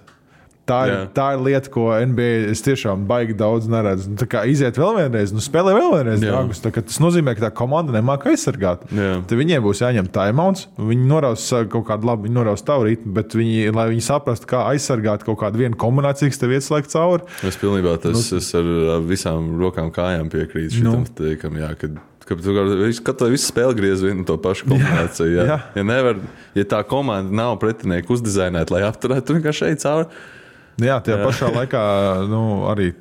Speaker 2: Tā ir, yeah. tā ir lieta, ko N B A es tiešām baigi daudz neredzu. Tā kā iziet vēl vienreiz, nu spēlē vēl vienreiz yeah. ragus. Tā kā tas nozīmē, ka tā komanda nemāk aizsargāt. Yeah. Te viņiem būs jāņem timeouts, viņi noraus kaut kādu labu, viņi noraus tavu ritmu, bet viņi, lai viņi saprastu, kā aizsargāt kaut kādu vienu kombināciju, kas tev ieslēgt cauri.
Speaker 3: Es pilnībā tas, nu, es ar visām rokām kājām piekrītu šitam nu. Teikam, jā, kad Katru visu spēli griez vienu to pašu kombināciju. Jā, jā. Ja, nevar, ja tā komanda nav pretinieku uzdizainēta, lai apturētu, tu vienkārši ej cauri.
Speaker 2: Jā, tajā jā. Pašā laikā nu, arī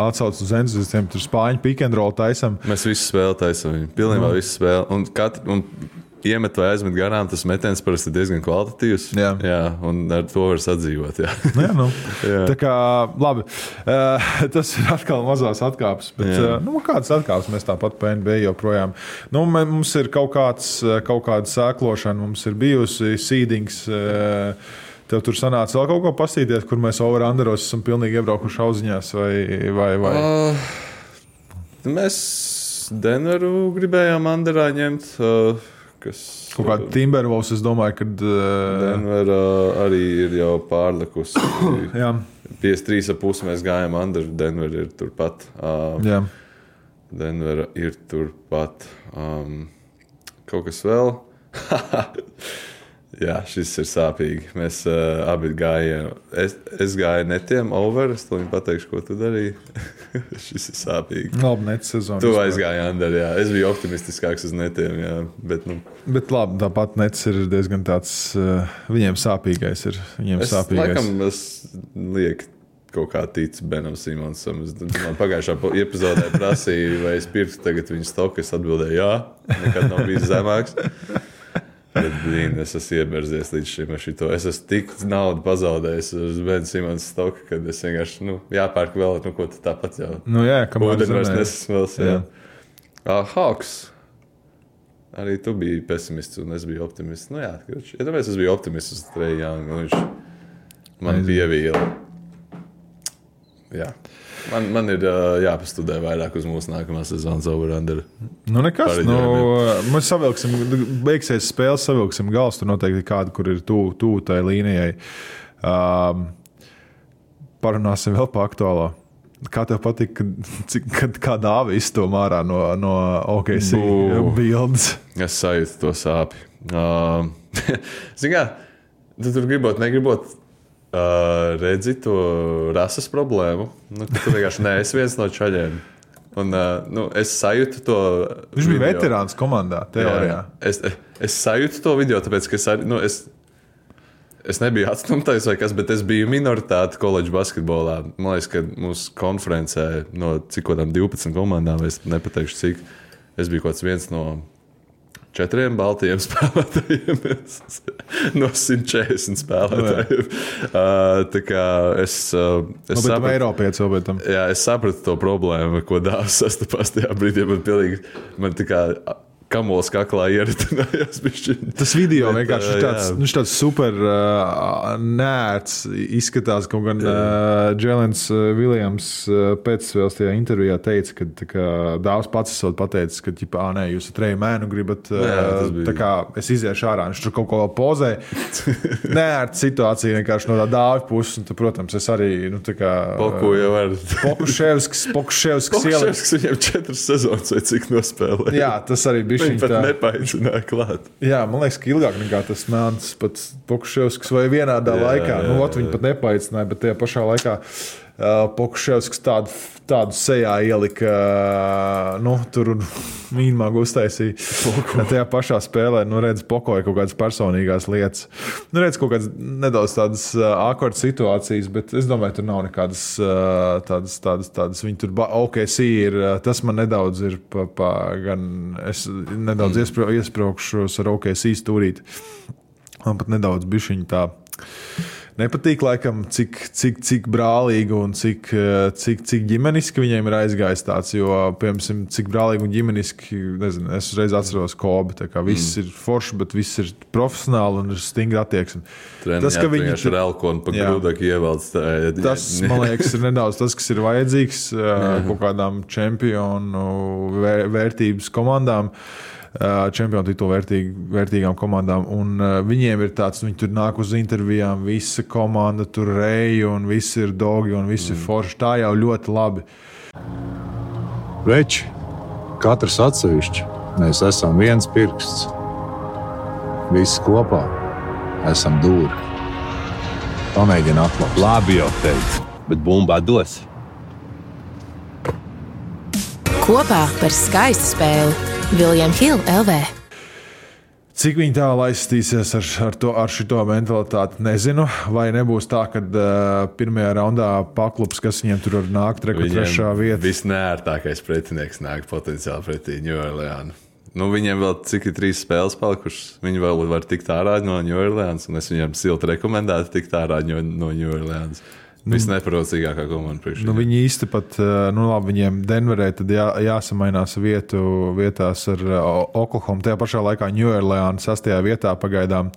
Speaker 2: atsauc uz entuziastiem, tur spāņu pick and roll taisam.
Speaker 3: Mēs visu spēli taisam viņu, pilnībā no. visu spēli. Un, katru, un iemet vai aizmet garām, tas metiens parasti diezgan kvalitatīvs. Jā. Jā, un ar to var sadzīvot. Jā,
Speaker 2: jā nu. jā. Tā kā, labi, uh, tas ir atkal mazās atkāpes, bet uh, nu, kādas atkāpes mēs tāpat pa N B A joprojām. Nu, mums ir kaut, kāds, kaut kāda sēklošana, mums ir bijusi seedings, uh, tev tur sanāca vēl kaut ko pastīties, kur mēs over-underos esam pilnīgi iebraukuši auziņās vai... vai, vai?
Speaker 3: Uh, mēs Denveru gribējām underā ņemt... Uh, kas...
Speaker 2: Kaut kā Timberwolves, es domāju, kad... Uh...
Speaker 3: Denver uh, arī ir jau pārlikusi.
Speaker 2: Jā.
Speaker 3: piecdesmit trīs ar pusi mēs gājām under, Denver ir turpat. Uh,
Speaker 2: Jā.
Speaker 3: Denver ir turpat. Um, kaut kas vēl? Jā, šis ir sāpīgi. Mēs uh, abi gājām. Es, es gāju netiem over, es to viņu pateikšu, ko tu darīji. Šis ir sāpīgi.
Speaker 2: Labi, net sezonu.
Speaker 3: Tu aizgāji under, jā. Es biju optimistiskāks uz netiem, jā. Bet, nu.
Speaker 2: Bet labi, tāpat nets ir diezgan tāds, uh, viņiem sāpīgais ir. Viņiem
Speaker 3: Es
Speaker 2: sāpīgais.
Speaker 3: laikam es lieku kaut kā tic Benam Simonsam. Es, man pagājušā epizodē prasīja, vai es pirktu tagad viņu stoku. Es atbildēju, jā, nekad nav bijis zemāks. Bet, blīn, es esmu ieberzies līdz šim ar šito. Es esmu tik naudu pazaudējis uz Bena Simons stoku, kad es vienkārši, nu, jāpērk vēl, nu, ko tu tāpat jau.
Speaker 2: Nu, jā, kamēr
Speaker 3: Ūdeni vairs
Speaker 2: zemē.
Speaker 3: nesasmels, jā. jā. Uh, Hawks. Arī tu biji pesimists un es biju optimists. Nu jā, ja tāpēc es biju optimists uz Trae Young, un viņš man pievīla. Jā. Man, man ir uh, jāpastudē vairāk uz mūsu nākamās sezonas over-under.
Speaker 2: Nu, nekas. Nu, mēs savilksim, beigsies spēles, savilksim gals. Tur noteikti kādu, kur ir tuvu tū tai līnijai. Um, parunāsim vēl pa aktuālo. Kā tev patīk, kad, cik, kad kā dāva izstom ārā no, no O K C bildes?
Speaker 3: Es sajūtu to sāpi. Uh, Zini kā, tu tur gribot, negribot, Uh, redzi to rases problēmu. Nu, tu vienkārši neesi viens no čaļiem. Un, uh, nu, es sajūtu to.
Speaker 2: Viņš bija
Speaker 3: video.
Speaker 2: veterāns komandā, teorijā.
Speaker 3: Es, es sajūtu to video, tāpēc, ka es, arī, nu, es, es nebiju atstumtais vai kas, bet es biju minoritāte koledžu basketbolā. Man liekas, ka mūsu konferencē no cik kādām divpadsmit komandām, es nepateikšu cik, es biju kaut kāds viens no četriem baltiem spēlētājiem no simt četrdesmit spēlētājiem. Uh, tā kā es, uh, es
Speaker 2: nu,
Speaker 3: sapratu,
Speaker 2: Eiropietis vēl pēc tam.
Speaker 3: Jā, es sapratu to problēmu, ko Dāvs sastapās tajā brīdī. Man pilnīgi, man tā kā kamols kaklā ieritinājās.
Speaker 2: Tas video
Speaker 3: Bet,
Speaker 2: vienkārši ir tāds, viņš tāds super uh, nērts izskatās, kaut gan uh, Jēlens Viljams uh, pēcspēles tajā intervijā teica, ka tā kā Dāvs pats esot pateicis, ka ģipā, ā, nē, jūs ar Treju Mēnu gribat, uh, jā, tā kā es iziešu ārā, viņš tur kaut ko vēl pozē. Nērts situācija vienkārši no tā Dāvi puses, un, tu, protams, es arī, nu, tā kā...
Speaker 3: Poku jau var.
Speaker 2: Pokuševskis, Pokuševskis ielikt.
Speaker 3: Pokuševskis viņam četras sezonas vai cik nospēlē.
Speaker 2: Jā, tas arī bija.
Speaker 3: Viņi pat nepaicināja klāt.
Speaker 2: Jā, man liekas, ka ilgāk nekā tas Mēns pats Pokuševskis vai vienādā jā, laikā. Jā, nu, ot, viņi pat nepaicināja, bet tajā pašā laikā uh, Pokuševskis tādu, tādu sejā ielika, uh, nu, tur mīnmāgu uztaisīja. Tajā pašā spēlē, nu, redz, pokoja kaut kādas personīgās lietas. Nu, redz, kaut kādas nedaudz tādas uh, awkward situācijas, bet es domāju, tur nav nekādas uh, tādas, tādas, tādas. Viņi tur O K C ir, uh, tas man nedaudz ir pa, pa gan, es nedaudz mm. iespraukšos ar O K C stūrīt. Man pat nedaudz bišķiņi tā nepatīk, laikam, cik, cik, cik brālīgi un cik, cik, cik ģimeniski viņiem ir aizgājis tāds, jo, piemēram, cik brālīgi un ģimeniski, nezinu, es uzreiz atceros Kobe, tā kā viss mm. ir forši, bet viss ir profesionāli un ir stingri attieksmi.
Speaker 3: Tas, ka viņi ir elkoni pa grūdaki ievalds. Tā,
Speaker 2: tas, man liekas, ir nedaudz tas, kas ir vajadzīgs kaut kādām čempionu vērtības komandām. Čempionu titulu vērtīgi, vērtīgām komandām, un uh, viņiem ir tāds, viņi tur nāk uz intervijām, visa komanda tur reja, un visi ir dogi, un visi mm. ir forši. Tā jau ļoti labi.
Speaker 4: Veči, katrs atsevišķi, mēs esam viens pirksts. Visi kopā esam dūri. Pamēģini atklāt.
Speaker 5: Labi jau teicu, bet bumbā dos.
Speaker 6: Kopā par skaistu spēli William Hill L V.
Speaker 2: Cik viņi tā laistīsies ar, ar, to, ar šito mentalitāti, nezinu. Vai nebūs tā, ka uh, pirmajā raundā paklubs, kas viņiem tur var nākt, reku trešā vieta.
Speaker 3: Visnērtākais pretinieks nāk potenciāli pretī New Orleans. Nu, viņiem vēl cik ir trīs spēles palikušas. Viņi vēl var tikt ārā no New Orleans, un es viņiem silti rekomendētu tikt ārā no New Orleans. Visneparocīgākā komanda priekšā.
Speaker 2: Nu, viņi īsti pat, nu labi, viņiem Denverē tad jā, jāsamainās vietu vietās ar Oklahoma. Tajā pašā laikā New Orleans sastajā vietā pagaidām.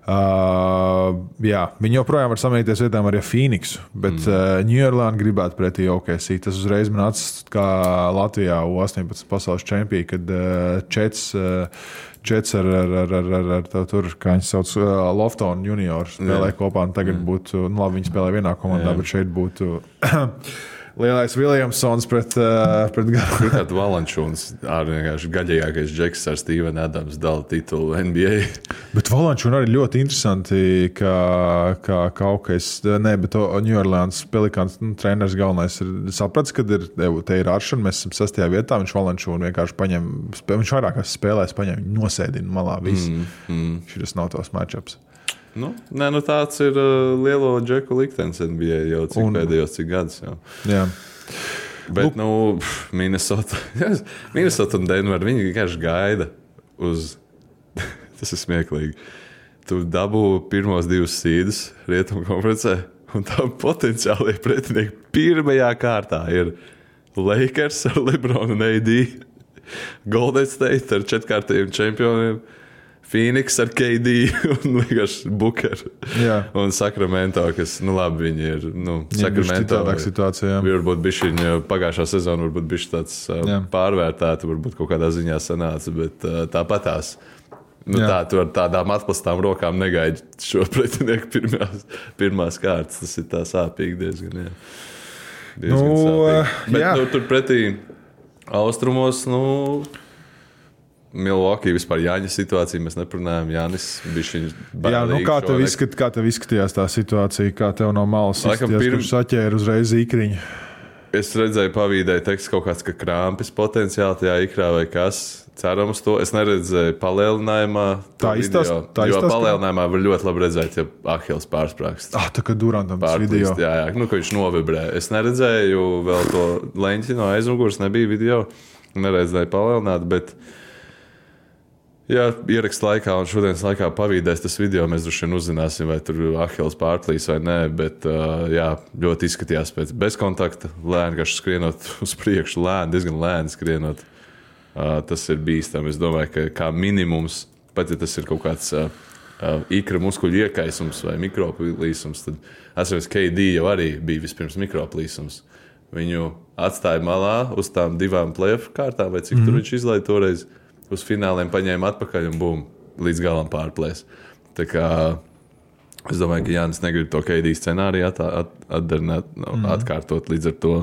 Speaker 2: Uh, jā, viņi joprojām var samīties vietām arī ar Phoenixu, bet mm. uh, New Orleans gribētu pretī O K C. Tas uzreiz man atsist kā Latvijā U astoņpadsmit pasaules čempija, kad uh, Čets, uh, Čets ar, ar, ar, ar, ar, ar tā, tur, kā viņi sauc, uh, Lofton junior spēlē yeah. kopā, un tagad mm. būtu, nu labi, viņi spēlē vienā komandā, yeah. bet šeit būtu lielais Williamsons pret, uh, pret Garu.
Speaker 3: Pirmkārt, Valančūns ārvienkārši gaļīgākais džeks ar Stevenu Adams dala titulu N B A.
Speaker 2: Bet Valančūna arī ļoti interesanti, kā, kā kaut kas, ne, bet New Orleans Pelicans nu, treneris galvenais ir saprats, kad ir, te ir Aršana, mēs esam sastajā vietā, viņš Valančūnu vienkārši paņem, viņš vairākās spēlēs paņem, nosēdina malā visu. Mm, mm. Šitas nav tos matchups.
Speaker 3: Nu, nē, nu tāds ir uh, lielo džeku liktenis N B A jau cik un, pēdējos cik gadus. Jau.
Speaker 2: Jā.
Speaker 3: Bet, nu, Minnesota, Minnesota un Denver, viņi vienkārši gaida uz, tas ir smieklīgi, tu dabū pirmos divus sīdus Rietumu konferencē, un tā potenciāli pretinieki pirmajā kārtā ir Lakers ar LeBron un A D, Golden State ar četrkārtējiem čempioniem, Phoenix ar K D un vienkārši Booker. Jā. Un Sacramento, kas, nu labi, viņi ir, nu,
Speaker 2: ja,
Speaker 3: Sacramento.
Speaker 2: Situācijā.
Speaker 3: Varbūt bišķiņi, pagājušā sezona varbūt bišķi tāds jā. Pārvērtēta, varbūt kaut kādā ziņā sanāca, bet uh, tāpatās. Nu jā. Tā, tu ar tādām atplastām rokām negaidi šo pretinieku pirmās, pirmās kārtas. Tas ir tā sāpīgi diezgan, jā. Diezgan nu, sāpīgi. Bet, jā. Nu, tur pretī austrumos, nu... Milwaukee vispār Jāņa situācija, mēs neprunājam, Jānis bišķiņš
Speaker 2: Jā, nu kā tev, izskat, kā tev izskatījās tā situācija, kā tev no malas izskatījās, pirm... kurš saķēra uzreiz īkriņu?
Speaker 3: Es redzēju pavīdēju tekstu kaut kāds, ka krāmpis potenciāli tajā ikrā vai kas, ceram uz to. Es neredzēju palielinājumā
Speaker 2: tā iztās, tā
Speaker 3: jo
Speaker 2: iztās,
Speaker 3: palielinājumā var ļoti labi redzēt, ja Ahils pārsprākst.
Speaker 2: Ah, tā kā Durantam tas video.
Speaker 3: Jā, jā, nu, ka viņš novibrē. Es neredzēju vēl to leņķi no aizmugures, nebija video, neredzēju palielināt, bet jā, ierakst laikā un šodienas laikā pavīdēs tas video, mēs droši vien uzzināsim, vai tur Ahils pārplīs vai nē, bet uh, jā, ļoti izskatījās pēc bezkontakta, lēni, kas skrienot uz priekšu, lēni, diezgan lēni skrienot. Uh, tas ir bīstami. Es domāju, ka kā minimums, pat ja tas ir kaut kāds uh, uh, ikra muskuļu iekaisums vai mikroplīsums, tad atceros, K D jau arī bija vispirms mikroplīsums. Viņu atstāja malā uz tām divām play-off kārtām, vai cik mm. tur viņš izlaida toreiz. Uz fināliem paņēma atpakaļ un bum, līdz galam pārplēs. Tā kā es domāju, ka Jānis negrib to K D scenāriju at, at, atdarināt, mm. atkārtot līdz ar to.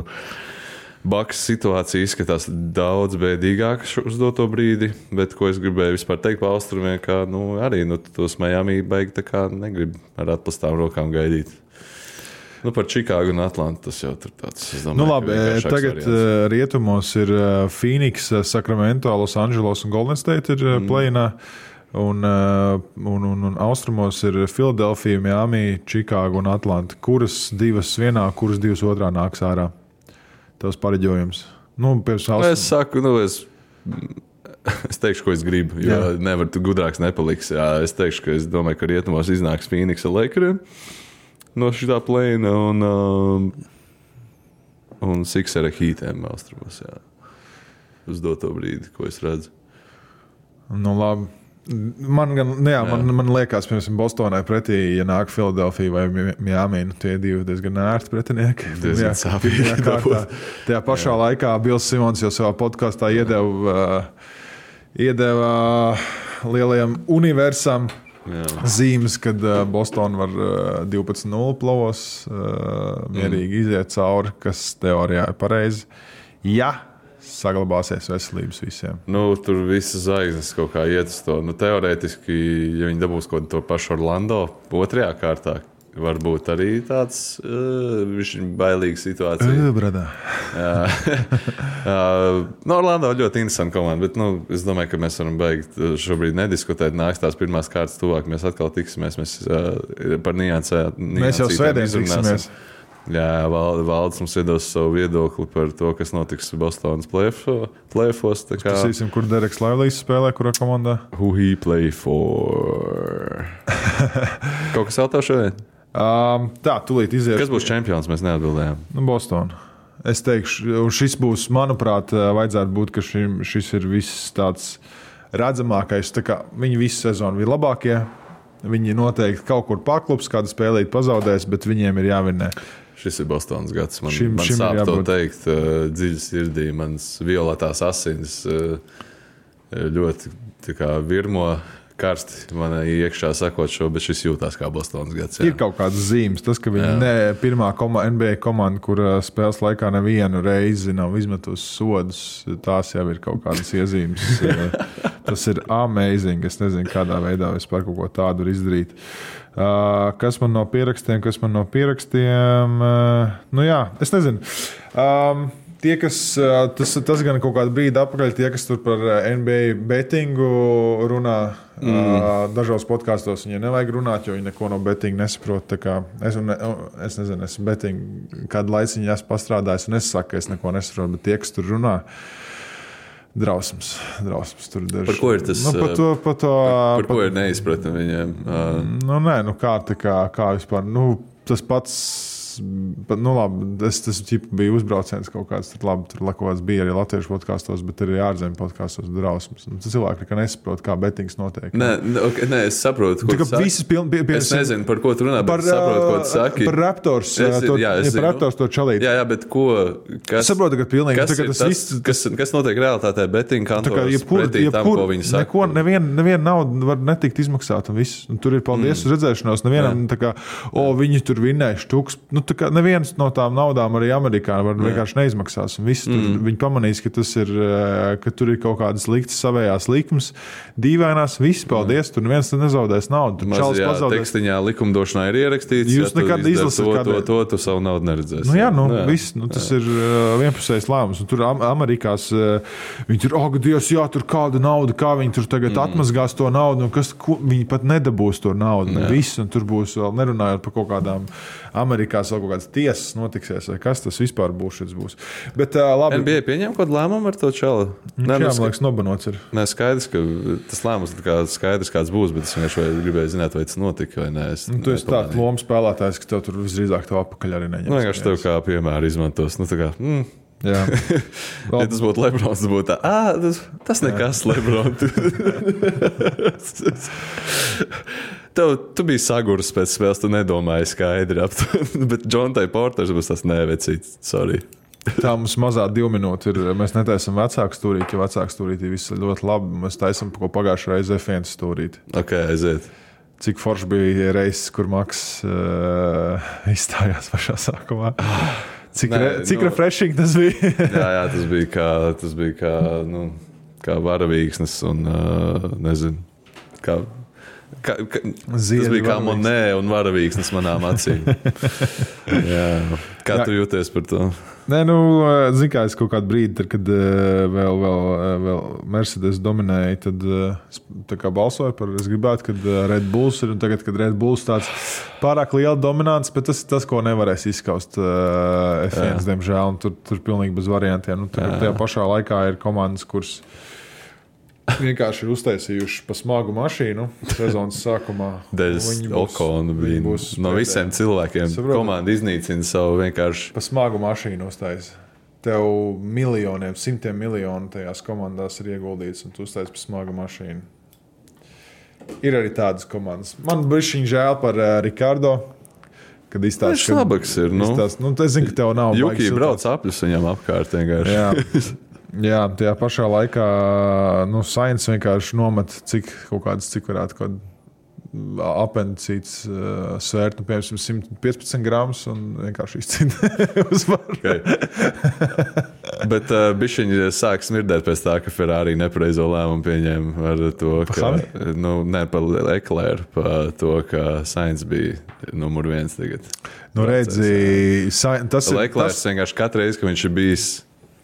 Speaker 3: Bucks situācija izskatās daudz bēdīgāk uz doto brīdi, bet ko es gribēju vispār teikt pa austrumiem, ka nu, arī nu, tos Miami baigi tā kā negrib ar atplastām rokām gaidīt. Nu, par Čikāgu un Atlantu tas jau tur tāds, es domāju,
Speaker 2: nu, labi, tagad variants. Rietumos ir Phoenix, Sacramento, Los Angeles un Golden State ir mm. play-inā, un, un, un, un austrumos ir Philadelphia, Miami, Čikāga un Atlanta. Kuras divas vienā, kuras divas otrā nāks ārā? Tavs pareģojums. Nu,
Speaker 3: nu, es saku, nu, es... Es teikšu, ko es gribu, jo jā. Nevar tu gudrāks nepaliks. Jā, es teikšu, ka es domāju, ka rietumos iznāks Phoenix ar Lakeriem. No šitā plēna un, um, un Sixera Heatiem austrumos, jā. Uz doto brīdi, ko es redzu.
Speaker 2: Nu, labi. Man, gan, jā, jā. man, man liekas, piemēram, Bostonai pretī, ja nāk Philadelphia vai Miami, nu, tie divi diezgan ērti pretinieki.
Speaker 3: Diezgan sāpīgi.
Speaker 2: Tajā pašā jā. Laikā Bils Simons jau savā podkastā iedeva, uh, iedeva uh, lielajam universam jā. Zīmes, kad uh, Boston var uh, divpadsmit nulle plovos uh, mierīgi mm. iziet cauri, kas teorijā ir pareizi. Ja saglabāsies veselības visiem.
Speaker 3: Nu, tur visas zvaigznes kaut kā iet uz to. Nu, teorētiski, ja viņi dabūs kaut to pašu Orlando otrajā kārtā, varbūt arī tāds uh, višķiņ bailīga situācija.
Speaker 2: Uh, bradā.
Speaker 3: Jā. uh, no Orlando ļoti interesanta komanda, bet nu, es domāju, ka mēs varam beigt šobrīd nediskutēt. Nāks tās pirmās kārtas tuvāk, mēs atkal tiksimies. Mēs uh, par niansē, niansītēm
Speaker 2: mēs jau svētdien tiksimies.
Speaker 3: Jā, Valds mums iedos savu viedokli par to, kas notiks Bostonas play-offos.
Speaker 2: Pasīsim, kur Dereks Livelijs spēlē, kurā komandā?
Speaker 3: Who he play for? Kaut kas vēl tev šodien?
Speaker 2: Um, tā, tūlīt izies.
Speaker 3: Kas būs čempions, mēs neatbildējām?
Speaker 2: Nu, Boston. Es teikšu, šis būs, manuprāt, vajadzētu būt, ka šim, šis ir viss tāds redzamākais. Tā kā viņi visu sezonu bija labākie, Viņi noteikti kaut kur paklups, kādu spēlīt pazaudēs, bet viņiem ir jāvinnē.
Speaker 3: Šis ir Bostonas gads. Man,
Speaker 2: šim,
Speaker 3: man
Speaker 2: šim
Speaker 3: sāp to teikt uh, dziļi sirdī. Mans violetās asins uh, ļoti tā kā virmo karsti man iekšā sakot šo, bet šis jūtās kā Bostonas gads. Jā.
Speaker 2: Ir kaut kādas zīmes. Tas, ka viņi ne pirmā koma, N B A komanda, kur spēles laikā nevienu reizi nav izmetusi sodus, tās jau ir kaut kādas iezīmes. Tas ir amazing. Es nezinu, kādā veidā vispār kaut ko tādu var izdarīt. Uh, kas man no pierakstiem, kas man no pierakstiem? Uh, nu jā, es nezinu. Um, tie, kas, uh, tas, tas gan kaut kādu brīdi apakaļ, tie, kas tur par N B A bettingu runā, mm. uh, dažos podkastos viņiem nevajag runāt, jo viņi neko no bettinga nesaprot. Tā kā es, ne, es nezinu, es bettingu kādu laiciņu esmu pastrādājis, un es saku, ka es neko nesaprotu, bet tie, kas tur runā, Drausmas, drausmas tur daži.
Speaker 3: Par ko ir tas?
Speaker 2: Nu, par to, par to,
Speaker 3: par, par ko ir neizpratni viņiem?
Speaker 2: Nu, nē, nu kā, tā kā, kā vispār, nu, tas pats, nu labi, es tas ķipa bija uzbrauciens kaut kāds, tad labi, tur kaut kāds bija arī latviešu podkastos, bet arī ārzemju podkastos drausmas. Nu, tas cilvēki, ka nesaprot, kā bettings notiek.
Speaker 3: Nē, okay, nē, es saprotu, ko tu saki.
Speaker 2: Piln, pie, pie,
Speaker 3: es nezinu, par ko tu runā, bet par, es saprotu, ko tu saki.
Speaker 2: Par Raptors,
Speaker 3: es,
Speaker 2: to,
Speaker 3: jā, es
Speaker 2: par Raptors to čalīt.
Speaker 3: Jā, jā, bet ko, kas,
Speaker 2: es saprotu, ka pilnīgi,
Speaker 3: kas,
Speaker 2: tā,
Speaker 3: tas,
Speaker 2: tas viss,
Speaker 3: kas, kas notiek realitātē betting kantoros
Speaker 2: jebkur,
Speaker 3: pretī
Speaker 2: jebkur,
Speaker 3: tam, ko viņi saka?
Speaker 2: Neko, nevien, nevien nauda var netikt izmaksāt un viss. Un tur ir paldies mm. uz redzēšanos. Nevienam, tā kā, o, viņi tur vinnēja štuks. Nu, tā kā neviens no tām naudām arī Amerikā var vienkārši neizmaksās. Un visi tur, mm. viņi pamanīs, ka, tas ir, ka tur ir kaut kādas liktas savējās likmes, dīvainās, visi paldies, tur neviens nezaudēs naudu. Tur
Speaker 3: Maz, jā, tekstiņā likumdošanā ir ierakstīts,
Speaker 2: jūs
Speaker 3: ja
Speaker 2: nekad izlasat
Speaker 3: to,
Speaker 2: kādā...
Speaker 3: to, to, tu savu naudu neredzēsi.
Speaker 2: Nu jā, nu, jā. Viss, nu, tas jā. ir vienpusējs lēmums. Un tur Amerikās viņi tur, ak, Dievs, jā, tur kāda nauda, kā viņi tur tagad mm. atmazgās to naudu, un kas, ko, viņi pat nedabūs to naudu. Un viss, un tur būs vēl nerunājot par kaut kādām Amerikās vēl kaut kādas tiesas notiksies, vai kas tas vispār būs, šis būs. Bet, uh, labi.
Speaker 3: N B A pieņem kādu lēmumu ar to čalu?
Speaker 2: Nē, jā, man liekas, nobanots ir.
Speaker 3: Nē, skaidrs, ka tas lēmums ir kā skaidrs, kāds būs, bet es vienkārši gribēju zināt, vai tas notika vai nē. Es
Speaker 2: nu, tu esi tāds lomas spēlētājs, ka tev tur visdrīzāk tev apakaļ arī neņems.
Speaker 3: Nu, vienkārši tev kā piemēru izmantos. Nu, tā kā, mm.
Speaker 2: Jā.
Speaker 3: Ja tas būtu Lebrons, tas būtu tā, ā, tas, tas nekas, Lebron. Tev, tu biji saguris pēc spēles, tu nedomāji skaidri ap to, bet Džontai Porters būs tas nevecīts, sorry.
Speaker 2: Tā mums mazā divu minūti ir, mēs netaisam vecāku stūrīti, jo vecāku stūrīti viss ļoti labi, mēs taisam ko pagājušā reize F viens stūrīti.
Speaker 3: Ok, aiziet.
Speaker 2: Cik forši bija reizes, kur Maks uh, izstājās pašā sākumā. Cik, Nē, re, cik nu, refreshing tas bija?
Speaker 3: jā, jā, tas bija kā, tas bija kā, nu, kā varavīksnes un, uh, nezinu, kā, kā, kā tas bija kā Monē un varavīksnes manām acīm. jā. Kā jā. Tu jūties par to?
Speaker 2: Nē, nu, zin kā, es kaut kādu brīdi, tad, kad vēl, vēl, vēl Mercedes dominēja, tad tā kā balsoju par, es gribētu, kad Red Bulls ir, un tagad, kad Red Bulls tāds pārāk liela dominants, bet tas ir tas, ko nevarēs izskaust uh, F viens, jā. Diemžēl, un tur, tur pilnīgi bez variantiem. Nu, tagad tajā pašā laikā ir komandas, kuras vienkārši ir uztaisījuši pa smagu mašīnu sezonas sākumā.
Speaker 3: Dēļ Okonu bija no pēdējā. Visiem cilvēkiem. Saprot, komanda iznīcina savu vienkārši.
Speaker 2: Pa smagu mašīnu uztaisi. Tev miljoniem, simtiem miljonu tajās komandās ir ieguldīts, un tu uztaisi pa smagu mašīnu. Ir arī tādas komandas. Man bišķiņ žēl par uh, Ricardo. Kad izstāst,
Speaker 3: viņš labāks ir. Nu,
Speaker 2: izstāst, nu, es zinu, ka tev nav.
Speaker 3: Juki brauc apļus viņam apkārt vienkārši.
Speaker 2: Jā. Jā, tajā pašā laikā nu, Sainz vienkārši nomet, cik kaut kādas, cik varētu kaut apendicīts uh, svērt, nu, piemēram, simt piecpadsmit gramus un vienkārši izcina uzvaru.
Speaker 3: Okay. Bet uh, bišķiņi sāk smirdēt pēc tā, ka Ferrari nepareizo lēmumu pieņēma ar to, ka, nu, ne par Leclerc, par to, ka Sainz bija numur viens tagad.
Speaker 2: Nu, redzi, tas ir...
Speaker 3: Leclerc vienkārši katru reizi, ka viņš ir bijis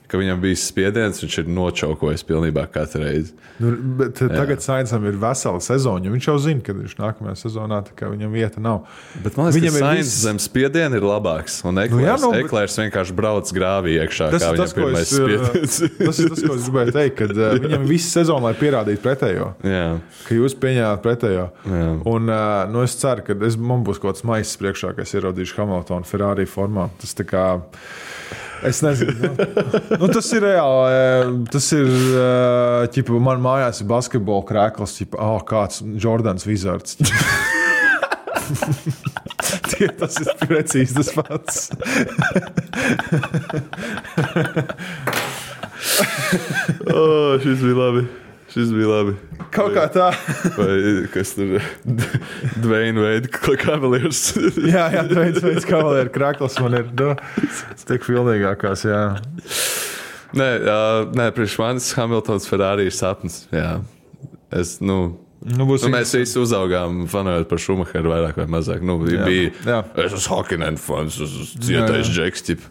Speaker 3: ka viņam bija spiediens, viņš ir nočaukojis pilnībā katru reizi.
Speaker 2: Nu, bet jā. Tagad Sainzam ir vesela sezona, viņš jau zina, ka viņš nākamajā sezonā, ka viņam vieta nav.
Speaker 3: Bet man liekas, viņam ka Sainz viss... zem spiediena ir labāks, un Eklērs, nu, jā, nu, bet... Eklērs vienkārši brauc grāvī iekšā, tas, kā viņam tas, pirmais es, spiediens.
Speaker 2: Tas ir tas, ko es gribēju teikt, kad uh, viņam visu sezonu, lai pierādītu pretējo.
Speaker 3: Jā.
Speaker 2: Ka jūs pieņēmāt pretējo.
Speaker 3: Jā.
Speaker 2: Un uh, nu, es ceru, ka es, man būs kaut kāds maisis priekšā, ka es ieraudīšu Hamiltonu Ferrari formā. Tas tā kā... Es nezinu. Nu, nu, tas ir reāli. Tas ir, ķipa, man mājās ir basketbola krēkls, ķipa, oh, kāds Jordans Wizards. Tie, tas ir precīzi tas pats.
Speaker 3: oh, šis bija labi. Šis bija labi.
Speaker 2: Kaut kā tā.
Speaker 3: Vai kas tur Dwayne Wade Cavaliers.
Speaker 2: jā, jā, Dwayne Wade Cavaliers krēkls man ir. Nu, tik filmīgākās, jā.
Speaker 3: Nē, uh, nē priekš manis Hamiltons Ferrari ir sapnis. Jā. Es, nu... Nu, nu, mēs visi uzaugām fanojot par Schumacheru vairāk vai mazāk. Nu, jā, bija, jā. Es esmu Hakkinen fans, es esmu cietais džeks, ķip.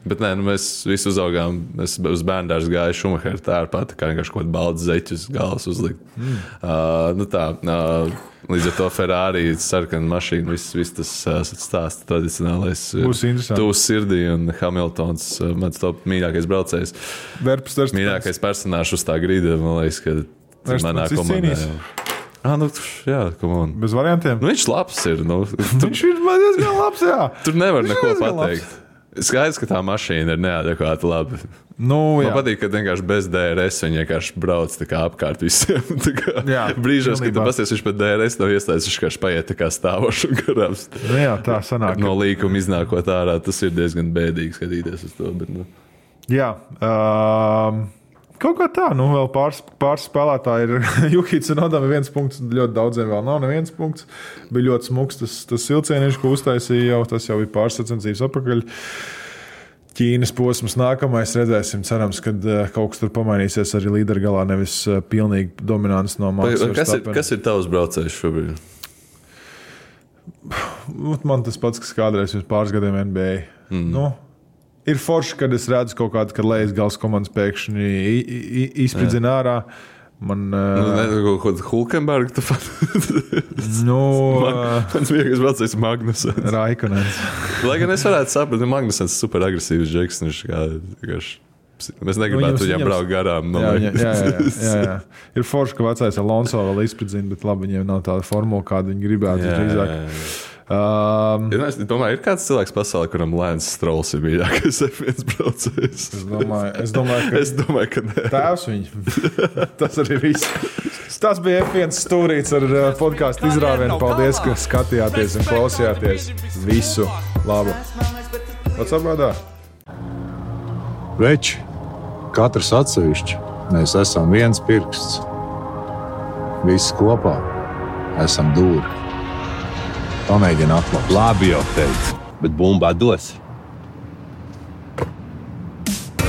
Speaker 3: Bet nē, nu, mēs visi uzaugām, es uz bērndārs gāju Schumacheru tērpāt, kā vienkārši kaut balts zeķus galvas uzlikt. Mm. Uh, nu tā, uh, līdz ar to Ferrari, sarkana mašīna, viss, viss tas uh, stāsts tradicionālais.
Speaker 2: Būs interesanti.
Speaker 3: Tūs sirdī un Hamiltons, uh, mans top mīļākais braucējs.
Speaker 2: Verpstars.
Speaker 3: Mīļākais personāžs uz tā grīda, man liekas, ka manā komandā. Ah, nu, jā, come on.
Speaker 2: Bez variantiem?
Speaker 3: Nu, viņš labs ir. Nu,
Speaker 2: tur, viņš ir diezgan labs, jā.
Speaker 3: Tur nevar viņš neko pateikt. Labs. Skaidrs, ka tā mašīna ir neadekvāti labi.
Speaker 2: Nu, jā.
Speaker 3: Man patīk, ka vienkārši bez D R S viņi vienkārši brauc tā kā apkārt visiem. Tā kā jā, brīžos, kad tu pasties, viņš pat D R S nav iestājas, viņš vienkārši paiet tā kā stāvoši un garām.
Speaker 2: Nu, jā, tā sanāk.
Speaker 3: No līkuma iznākot ārā, tas ir diezgan bēdīgi skatīties uz to. Bet, nu.
Speaker 2: Jā. Um... Kaut kā tā, nu vēl pāris, pāris spēlētāji ir. Juhits un Odam ir viens punkts, ļoti daudziem vēl nav neviens punkts. Bija ļoti smuks tas, tas silcieniņš, ko uztaisīja jau, tas jau bija pāris sacensības atpakaļ. Ķīnas posms nākamais, redzēsim, cerams, kad kaut kas tur pamainīsies arī līderu galā, nevis pilnīgi dominants no Max Verstappen.
Speaker 3: Kas ir, kas ir tavs braucējs šobrīd?
Speaker 2: Man tas pats, kas kādreiz pirms pāris gadiem N B A. Mm. Nu, ir forši, kad es redzu kaut kādu, kad lejas gals komandas pēkšņi izspridzina ārā. Man...
Speaker 3: Nu, ne, kaut kādu Hulkenbergu tu pat...
Speaker 2: nu...
Speaker 3: Man, mans vienkārši braucējs Magnusens.
Speaker 2: Raikonens.
Speaker 3: Lai gan es varētu saprast, ka Magnusens ir super agresīvs džeks. Viņš kā... Mēs negribētu viņam braukt garām. No
Speaker 2: jā, jā, jā, jā, jā, jā. Ir forši, ka vecais Alonso vēl izspridzina, bet labi, viņiem nav tāda formula, kādu viņi gribētu
Speaker 3: jā,
Speaker 2: drīzāk.
Speaker 3: Jā, jā. Um, es domāju, ir kāds cilvēks pasaulē, kuram Lance Strolls ir mīļākais F viens braucējs.
Speaker 2: Es domāju, es domāju, ka,
Speaker 3: es domāju, ka nē.
Speaker 2: Tēvs viņa. Tas arī viss. Tas bija F viens stūrīts ar podcastu izrāvienu. Paldies, ka skatījāties un klausījāties. Visu labu. Pats apgādā?
Speaker 4: Veči, katrs atsevišķi. Mēs esam viens pirksts. Visi kopā esam dūri. Pamēģini atklāt.
Speaker 5: Labi jau teicu, bet bumbā dos.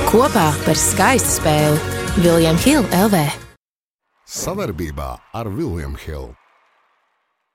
Speaker 6: Kopā par skaistu spēli William Hill L V.
Speaker 1: Savarbībā ar William Hill.